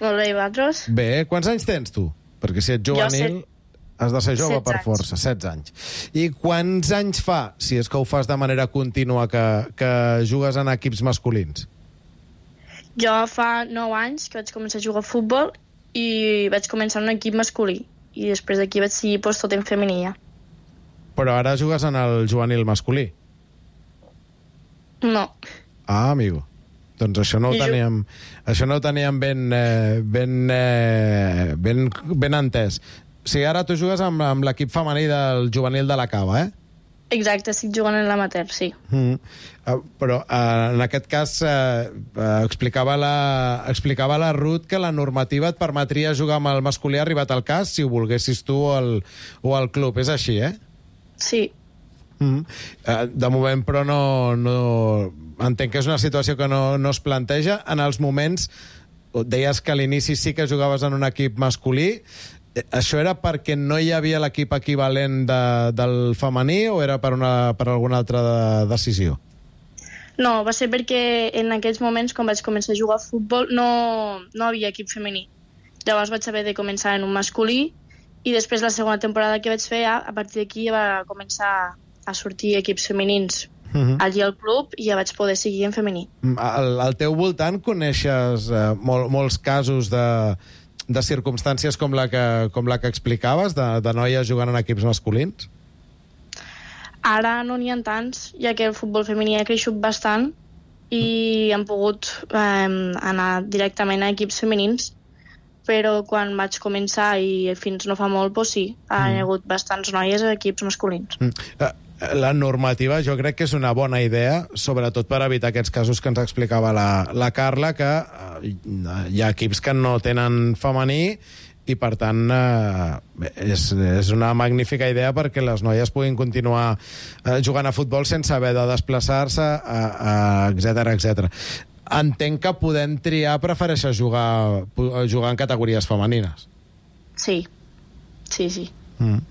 Molt bé, i vosaltres? Bé, quants anys tens tu? Perquè si ets juvenil has de ser jove per força, setze anys. I quants anys fa, si és que ho fas de manera contínua, que, que jugues en equips masculins? Jo fa nou anys que vaig començar a jugar a futbol i vaig començar en un equip masculí. I després d'aquí vaig seguir pues, tot en femení ja. Però ara jugues en el juvenil masculí? No. Ah, amigo. Doncs això no ho teníem, això no ho teníem ben, eh, ben, eh, ben, ben entès. O sigui, ara tu jugues amb, amb l'equip femení del juvenil de La Cava, eh? Exacte, estic jugant en l'amateur, sí. Mm. Uh, però uh, en aquest cas uh, uh, explicava, la, explicava la Ruth que la normativa et permetria jugar amb el masculí arribat al cas si ho volguessis tu o el, o el club. És així, eh? Sí. Mm. Uh, de moment, però, no, no... entenc que és una situació que no, no es planteja. En els moments, deies que a l'inici sí que jugaves en un equip masculí. Això era perquè no hi havia l'equip equivalent de, del femení o era per, una, per alguna altra decisió? No, va ser perquè en aquells moments, quan vaig començar a jugar a futbol, no, no havia equip femení. Llavors vaig haver de començar en un masculí i després la segona temporada que vaig fer, a partir d'aquí ja va començar a sortir equips femenins. Uh-huh. Allí al club i ja vaig poder seguir en femení. Al, al teu voltant coneixes eh, mol, molts casos de, de circumstàncies com la que, com la que explicaves, de, de noies jugant en equips masculins? Ara no n'hi ha tants, ja que el futbol femení ha creixut bastant i han pogut eh, anar directament a equips femenins, però quan vaig començar i fins no fa molt, doncs sí, ha mm. hagut bastants noies a equips masculins. Mm. Uh, La normativa jo crec que és una bona idea, sobretot per evitar aquests casos que ens explicava la, la Carla, que eh, hi ha equips que no tenen femení i, per tant, eh, és, és una magnífica idea perquè les noies puguin continuar eh, jugant a futbol sense haver de desplaçar-se, etcètera, etcètera. Entenc que podent triar prefereixes jugar, jugar en categories femenines. Sí, sí, sí. Mm.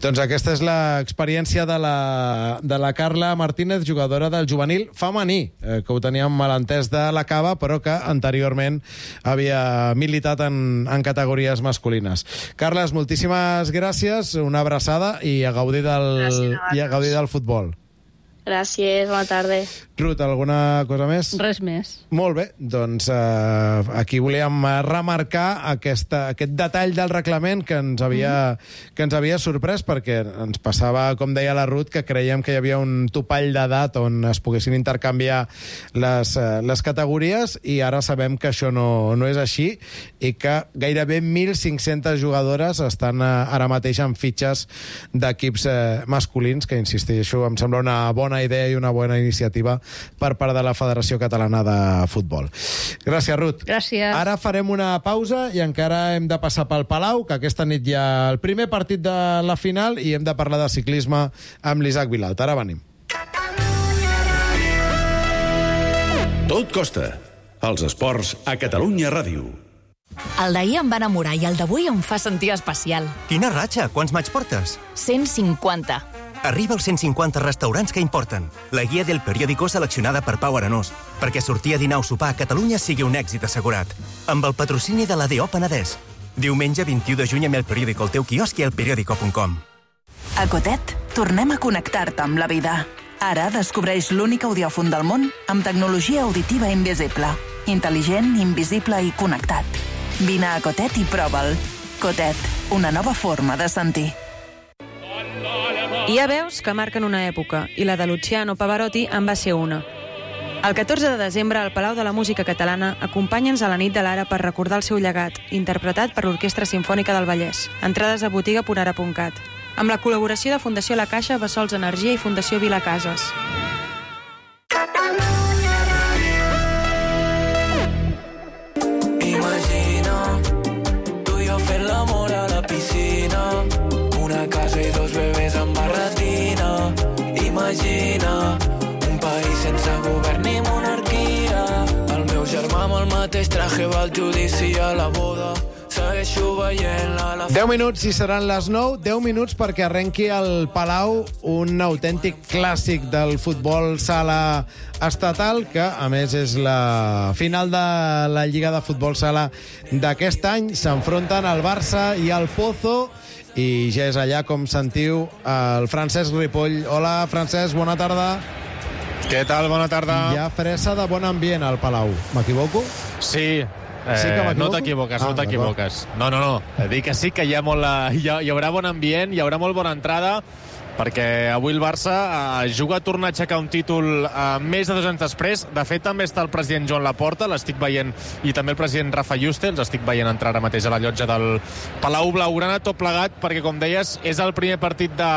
Doncs aquesta és l'experiència de la, de la Carla Martínez, jugadora del juvenil femení, eh, que ho teníem malentès de La Cava, però que anteriorment havia militat en, en categories masculines. Carles, moltíssimes gràcies, una abraçada i a gaudir del, i a gaudir del futbol. Gràcies, bona tarda. Ruth, alguna cosa més? Res més. Molt bé, doncs eh, aquí volíem remarcar aquesta, aquest detall del reglament que ens, havia, mm. que ens havia sorprès, perquè ens passava, com deia la Ruth, que creiem que hi havia un topall d'edat on es poguessin intercanviar les, eh, les categories, i ara sabem que això no, no és així, i que gairebé mil cinc-centes jugadores estan eh, ara mateix en fitxes d'equips eh, masculins, que, insisteixo, em sembla una bona idea i una bona iniciativa per part de la Federació Catalana de Futbol. Gràcies, Ruth. Gràcies. Ara farem una pausa i encara hem de passar pel Palau, que aquesta nit hi ha el primer partit de la final i hem de parlar de ciclisme amb l'Isaac Vilalta. Ara venim. Tot costa. Els esports a Catalunya Ràdio. El d'ahir em va enamorar i el d'avui em fa sentir especial. Quina ratxa? Quants maig portes? cent cinquanta. Arriba als cent cinquanta restaurants que importen. La guia del periòdico seleccionada per Pau Arenós, perquè sortir a dinar o sopar a Catalunya sigui un èxit assegurat. Amb el patrocini de l'A D O Penedès. Diumenge vint-i-u de juny amb el periòdico al teu quiosc i al periòdico punt com. A Cotet, tornem a connectar-te amb la vida. Ara descobreix l'únic audiòfon del món amb tecnologia auditiva invisible. Intel·ligent, invisible i connectat. Vine a Cotet i prova'l. Cotet, una nova forma de sentir. Hi ha veus que marquen una època, i la de Luciano Pavarotti en va ser una. El catorze de desembre, al Palau de la Música Catalana, acompanya'ns a la nit de l'Ara per recordar el seu llegat, interpretat per l'Orquestra Simfònica del Vallès. Entrades a botiga punt ara punt cat. Amb la col·laboració de Fundació La Caixa, Bessols Energia i Fundació Vilacases. Imagina, tu i jo fent l'amor a la piscina, una casa i dos bebès amb barretina. Imagina, un país sense govern ni monarquia. El meu germà amb el mateix traje va al judici a la boda. Segueixo veient-la la... deu minuts i seran les nou. deu minuts perquè arrenqui al Palau un autèntic clàssic del futbol sala estatal, que a més és la final de la Lliga de Futbol Sala d'aquest any. S'enfronten el Barça i el Pozo, i ja és allà, com sentiu, el Francesc Ripoll. Hola, Francesc, bona tarda. Què tal? Bona tarda. Hi ha fressa de bon ambient al Palau. M'equivoco? Sí. Eh, sí que no t'equivoques, ah, no t'equivoques. No, no, no. Dic que sí que hi ha, molt, hi, ha, hi haurà bon ambient, hi haurà molt bona entrada, perquè avui el Barça eh, juga a tornar a aixecar un títol eh, més de dos anys després. De fet, també està el president Joan Laporta, l'estic veient, i també el president Rafa Juste, els estic veient entrar ara mateix a la llotja del Palau Blaugrana, tot plegat, perquè, com deies, és el primer partit de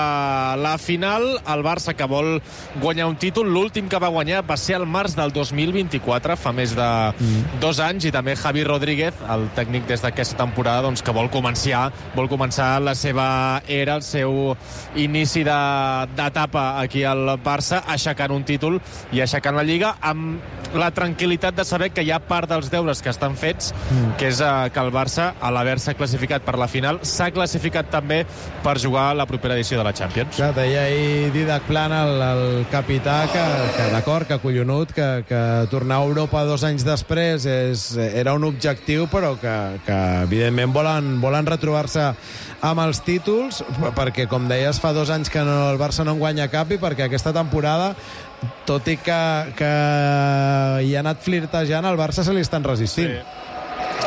la final. El Barça, que vol guanyar un títol, l'últim que va guanyar va ser el març del dos mil vint-i-quatre, fa més de mm. dos anys, i també Javi Rodríguez, el tècnic des d'aquesta temporada, doncs, que vol començar, vol començar la seva era, el seu inici d'etapa aquí al Barça, aixecant un títol i aixecant la Lliga, amb la tranquil·litat de saber que hi ha part dels deures que estan fets, mm. que és uh, que el Barça, a l'haver-se classificat per la final, s'ha classificat també per jugar a la propera edició de la Champions. Clar, deia ahir Didac Plana, el, el capità, que, que d'acord, que collonut, que, que tornar a Europa dos anys després és, era un objectiu, però que, que evidentment volen, volen retrobar-se amb els títols, perquè, com deies, fa dos anys que no, el Barça no en guanya cap, i perquè aquesta temporada, tot i que, que hi ha anat flirtejant, el Barça se li estan resistint. Sí.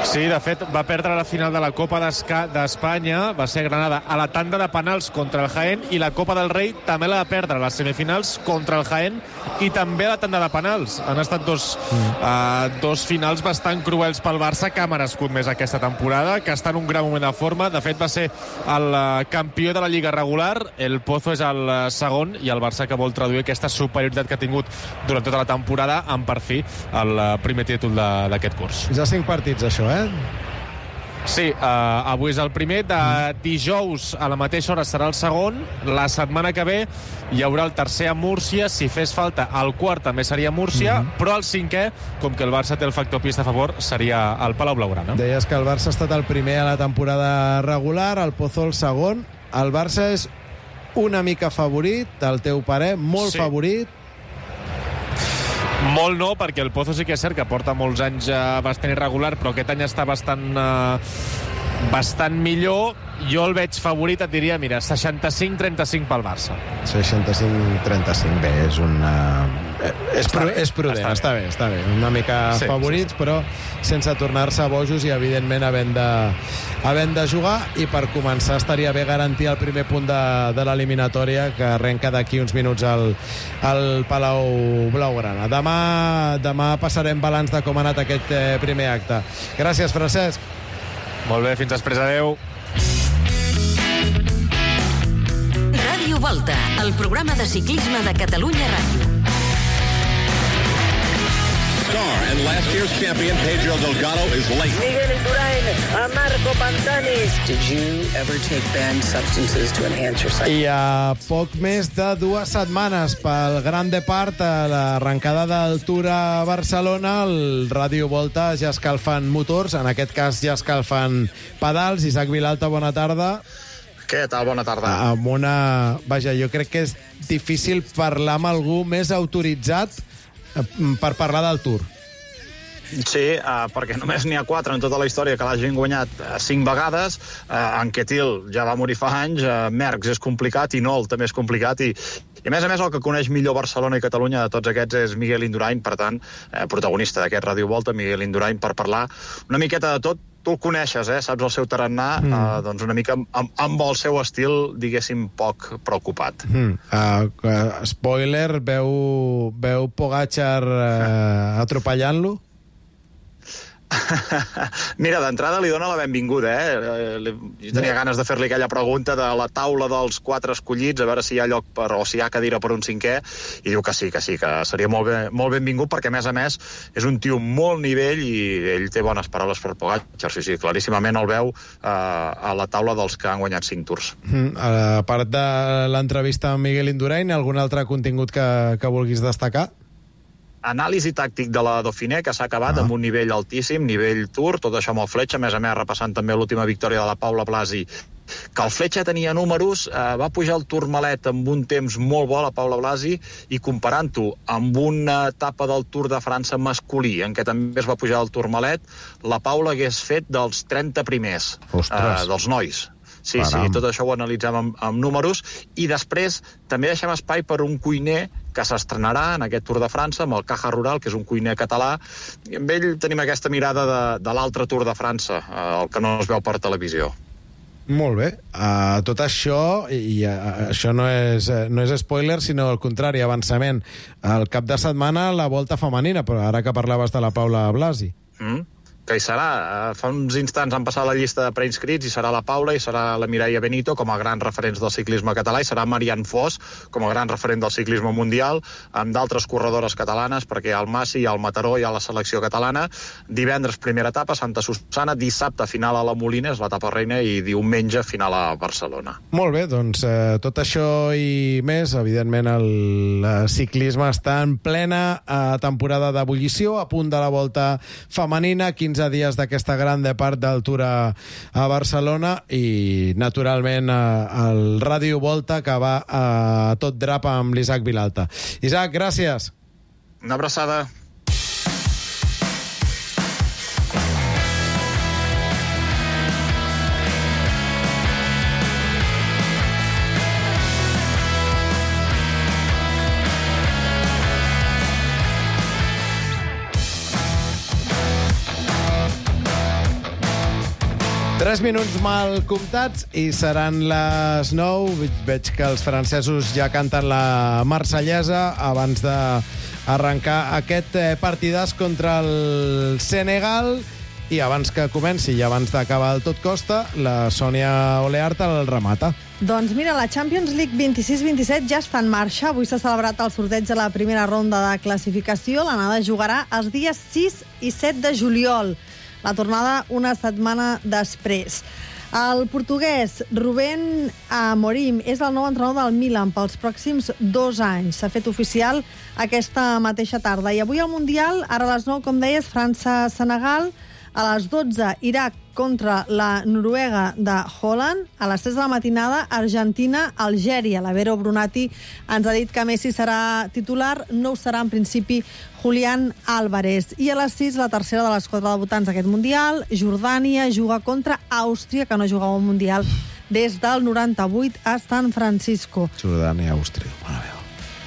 Sí, de fet, va perdre la final de la Copa d'Espanya, va ser Granada, a la tanda de penals contra el Jaén, i la Copa del Rei també la va perdre a les semifinals contra el Jaén, i també a la tanda de penals. Han estat dos, mm. uh, dos finals bastant cruels pel Barça, que ha merescut més aquesta temporada, que està en un gran moment de forma. De fet, va ser el uh, campió de la Lliga regular, el Pozo és el uh, segon, i el Barça, que vol traduir aquesta superioritat que ha tingut durant tota la temporada en, per fi, el uh, primer títol d'aquest curs. Ja cinc partits, això, eh? Sí, uh, avui és el primer. De dijous a la mateixa hora serà el segon. La setmana que ve hi haurà el tercer a Múrcia. Si fes falta, el quart també seria a Múrcia, mm -hmm. però el cinquè, com que el Barça té el factor pista a favor, seria al Palau Blaugrana. Deies que el Barça ha estat el primer a la temporada regular, el Pozo el segon. El Barça és una mica favorit, al teu parer, molt sí. favorit. Molt no, perquè el Pozo sí que és cert que porta molts anys eh, bastant irregular, però aquest any està bastant, eh, bastant millor. Jo el veig favorit, et diria, mira, seixanta-cinc trenta-cinc pel Barça. seixanta-cinc trenta-cinc, bé, és una... És, pru bé, és prudent, està bé. està bé, està bé. Una mica sí, favorits, sí. però sense tornar-se bojos i, evidentment, havent de, havent de jugar. I per començar estaria bé garantir el primer punt de, de l'eliminatòria, que arrenca d'aquí uns minuts al, al Palau Blaugrana. Demà, demà passarem balanç de com ha anat aquest eh, primer acte. Gràcies, Francesc. Molt bé, fins després, adeu. Ràdio Volta, el programa de ciclisme de Catalunya Ràdio. Star and last year's champion Pedro Delgado is late. Miguel Indurain, a Marco Pantani. Did you ever take banned substances to enhance your sight? I a poc més de dues setmanes pel Gran Depart, a l'arrencada del Tour a Barcelona, el Ràdio Volta ja escalfant motors, en aquest cas ja escalfant pedals. Isaac Vilalta, bona tarda. Què tal? Bona tarda. Amb una... Vaja, jo crec que és difícil parlar amb algú més autoritzat per parlar del Tour. Sí, uh, perquè només n'hi ha quatre en tota la història que l'hagin guanyat uh, cinc vegades. Uh, Anquetil ja va morir fa anys, uh, Merckx és complicat i Nol també és complicat i, i a més a més el que coneix millor Barcelona i Catalunya de tots aquests és Miguel Indurain, per tant, uh, protagonista d'aquest Ràdio Volta, Miguel Indurain, per parlar una miqueta de tot. Tu el coneixes, eh? Saps el seu tarannà, mm. uh, doncs una mica amb, amb el seu estil, diguéssim, poc preocupat. Mm. Uh, uh, spoiler, veu, veu Pogačar uh, atropellant-lo? Mira, d'entrada li dona la benvinguda, eh? Jo tenia ganes de fer-li aquella pregunta de la taula dels quatre escollits, a veure si hi ha lloc per, o si hi ha cadira per un cinquè, i diu que sí, que sí, que seria molt, ben, molt benvingut, perquè a més a més és un tio molt nivell i ell té bones paraules per Pogačar, sí, sí, claríssimament el veu eh, a la taula dels que han guanyat cinc tours. Mm, a part de l'entrevista amb Miguel Indurain, algun altre contingut que, que vulguis destacar? Anàlisi tàctic de la Dauphiné, que s'ha acabat ah. amb un nivell altíssim, nivell Tour, tot això amb el Fletxa, a més a més repassant també l'última victòria de la Paula Blasi, que el Fletxa tenia números, eh, va pujar el Tourmalet amb un temps molt bo, la Paula Blasi, i comparant-ho amb una etapa del Tour de França masculí, en què també es va pujar el Tourmalet, la Paula hagués fet dels trenta primers, eh, dels nois. Sí, Param. sí, tot això ho analitzem amb, amb números, i després també deixem espai per un cuiner que s'estrenarà en aquest Tour de França amb el Caja Rural, que és un cuiner català, i amb ell tenim aquesta mirada de, de l'altre Tour de França, eh, el que no es veu per televisió. Molt bé. Uh, tot això, i uh, això no és, uh, no és spoiler, sinó al contrari, avançament. El cap de setmana la Volta femenina, però ara que parlaves de la Paula Blasi. Mm. Que hi serà. Fa uns instants han passat la llista de preinscrits i serà la Paula i serà la Mireia Benito com a grans referents del ciclisme català i serà Marianne Foss com a gran referent del ciclisme mundial, amb d'altres corredores catalanes, perquè hi ha el Massi, hi ha el Mataró, hi ha la selecció catalana. Divendres primera etapa, Santa Susana, dissabte final a la Molina, és l'etapa reina, i diumenge final a Barcelona. Molt bé, doncs eh, tot això i més, evidentment el, el ciclisme està en plena eh, temporada d'ebullició, a punt de la Volta femenina, quinze dies d'aquesta gran part del Tour a, a Barcelona i, naturalment, a, el Ràdio Volta, que va a tot drap amb l'Isaac Vilalta. Isaac, gràcies. Una abraçada. Tres minuts mal comptats i seran les nou. Veig que els francesos ja canten la marsellesa abans d'arrencar aquest partidàs contra el Senegal. I abans que comenci i abans d'acabar el tot costa, la Sònia Oleart el remata. Doncs mira, la Champions League vint-i-sis vint-i-set ja està en marxa. Avui s'ha celebrat el sorteig de la primera ronda de classificació. L'anada jugarà els dies sis i set de juliol. La tornada una setmana després. El portuguès Rubén Amorim és el nou entrenador del Milan pels pròxims dos anys. S'ha fet oficial aquesta mateixa tarda. I avui al Mundial, ara a les nou, com deies, França-Senegal, a les dotze, Iraq contra la Noruega de Holland, a les tres de la matinada, Argentina-Algèria. La Vero Brunati ens ha dit que Messi serà titular, no ho serà en principi Julián Álvarez. I a les sis, la tercera de les quatre debutants d'aquest Mundial, Jordània juga contra Àustria, que no jugava un Mundial des del noranta-vuit a San Francisco. Jordània-Àustria, mare meva.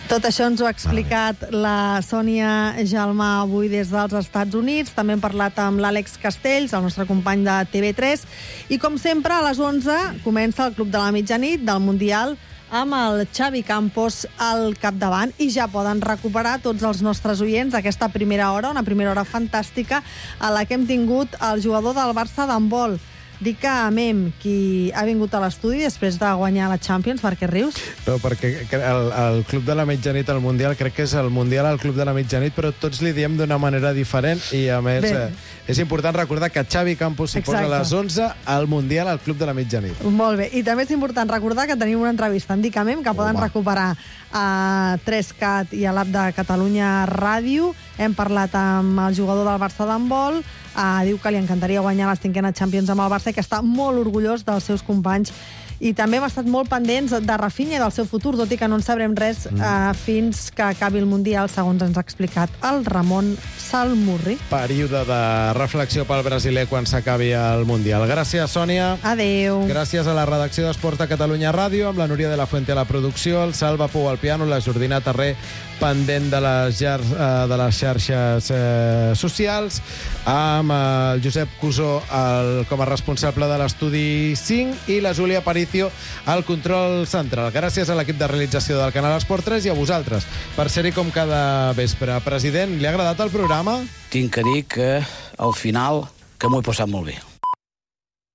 Tot això ens ho ha explicat la Sònia Jalmà avui des dels Estats Units. També hem parlat amb l'Àlex Castells, el nostre company de T V tres. I, com sempre, a les onze comença el Club de la Mitjanit del Mundial amb el Xavi Campos al capdavant. I ja poden recuperar tots els nostres oients aquesta primera hora, una primera hora fantàstica a la que hem tingut el jugador del Barça d'handbol, Dic a Mem, qui ha vingut a l'estudi després de guanyar la Champions. Per què rius? No, perquè el, el Club de la Mitjanit al Mundial, crec que és el Mundial al Club de la Mitjanit, però tots li diem d'una manera diferent i, a més, eh, és important recordar que Xavi Campos s'hi posa a les onze al Mundial al Club de la Mitjanit. Molt bé. I també és important recordar que tenim una entrevista amb Dic a Mem que poden Home. recuperar a tres cat i a l'app de Catalunya Ràdio. Hem parlat amb el jugador del Barça d'handbol. Uh, diu que li encantaria guanyar la cinquena Champions amb el Barça i que està molt orgullós dels seus companys I també hem estat molt pendents de Rafinha i del seu futur, tot i que no en sabrem res mm. eh, fins que acabi el Mundial, segons ens ha explicat el Ramon Salmurri. Període de reflexió pel brasiler quan s'acabi el Mundial. Gràcies, Sònia. Adéu. Gràcies a la redacció d'Esports de Catalunya Ràdio, amb la Núria de la Fuente a la producció, el Salva Pou al piano, la Jordina Terré pendent de les, jar, de les xarxes eh, socials, amb el Josep Cusó el, com a responsable de l'estudi cinc i la Júlia Aparicio al control central. Gràcies a l'equip de realització del Canal Esport tres i a vosaltres per ser-hi com cada vespre. President, li ha agradat el programa? Tinc que dir que al final que m'ho he passat molt bé.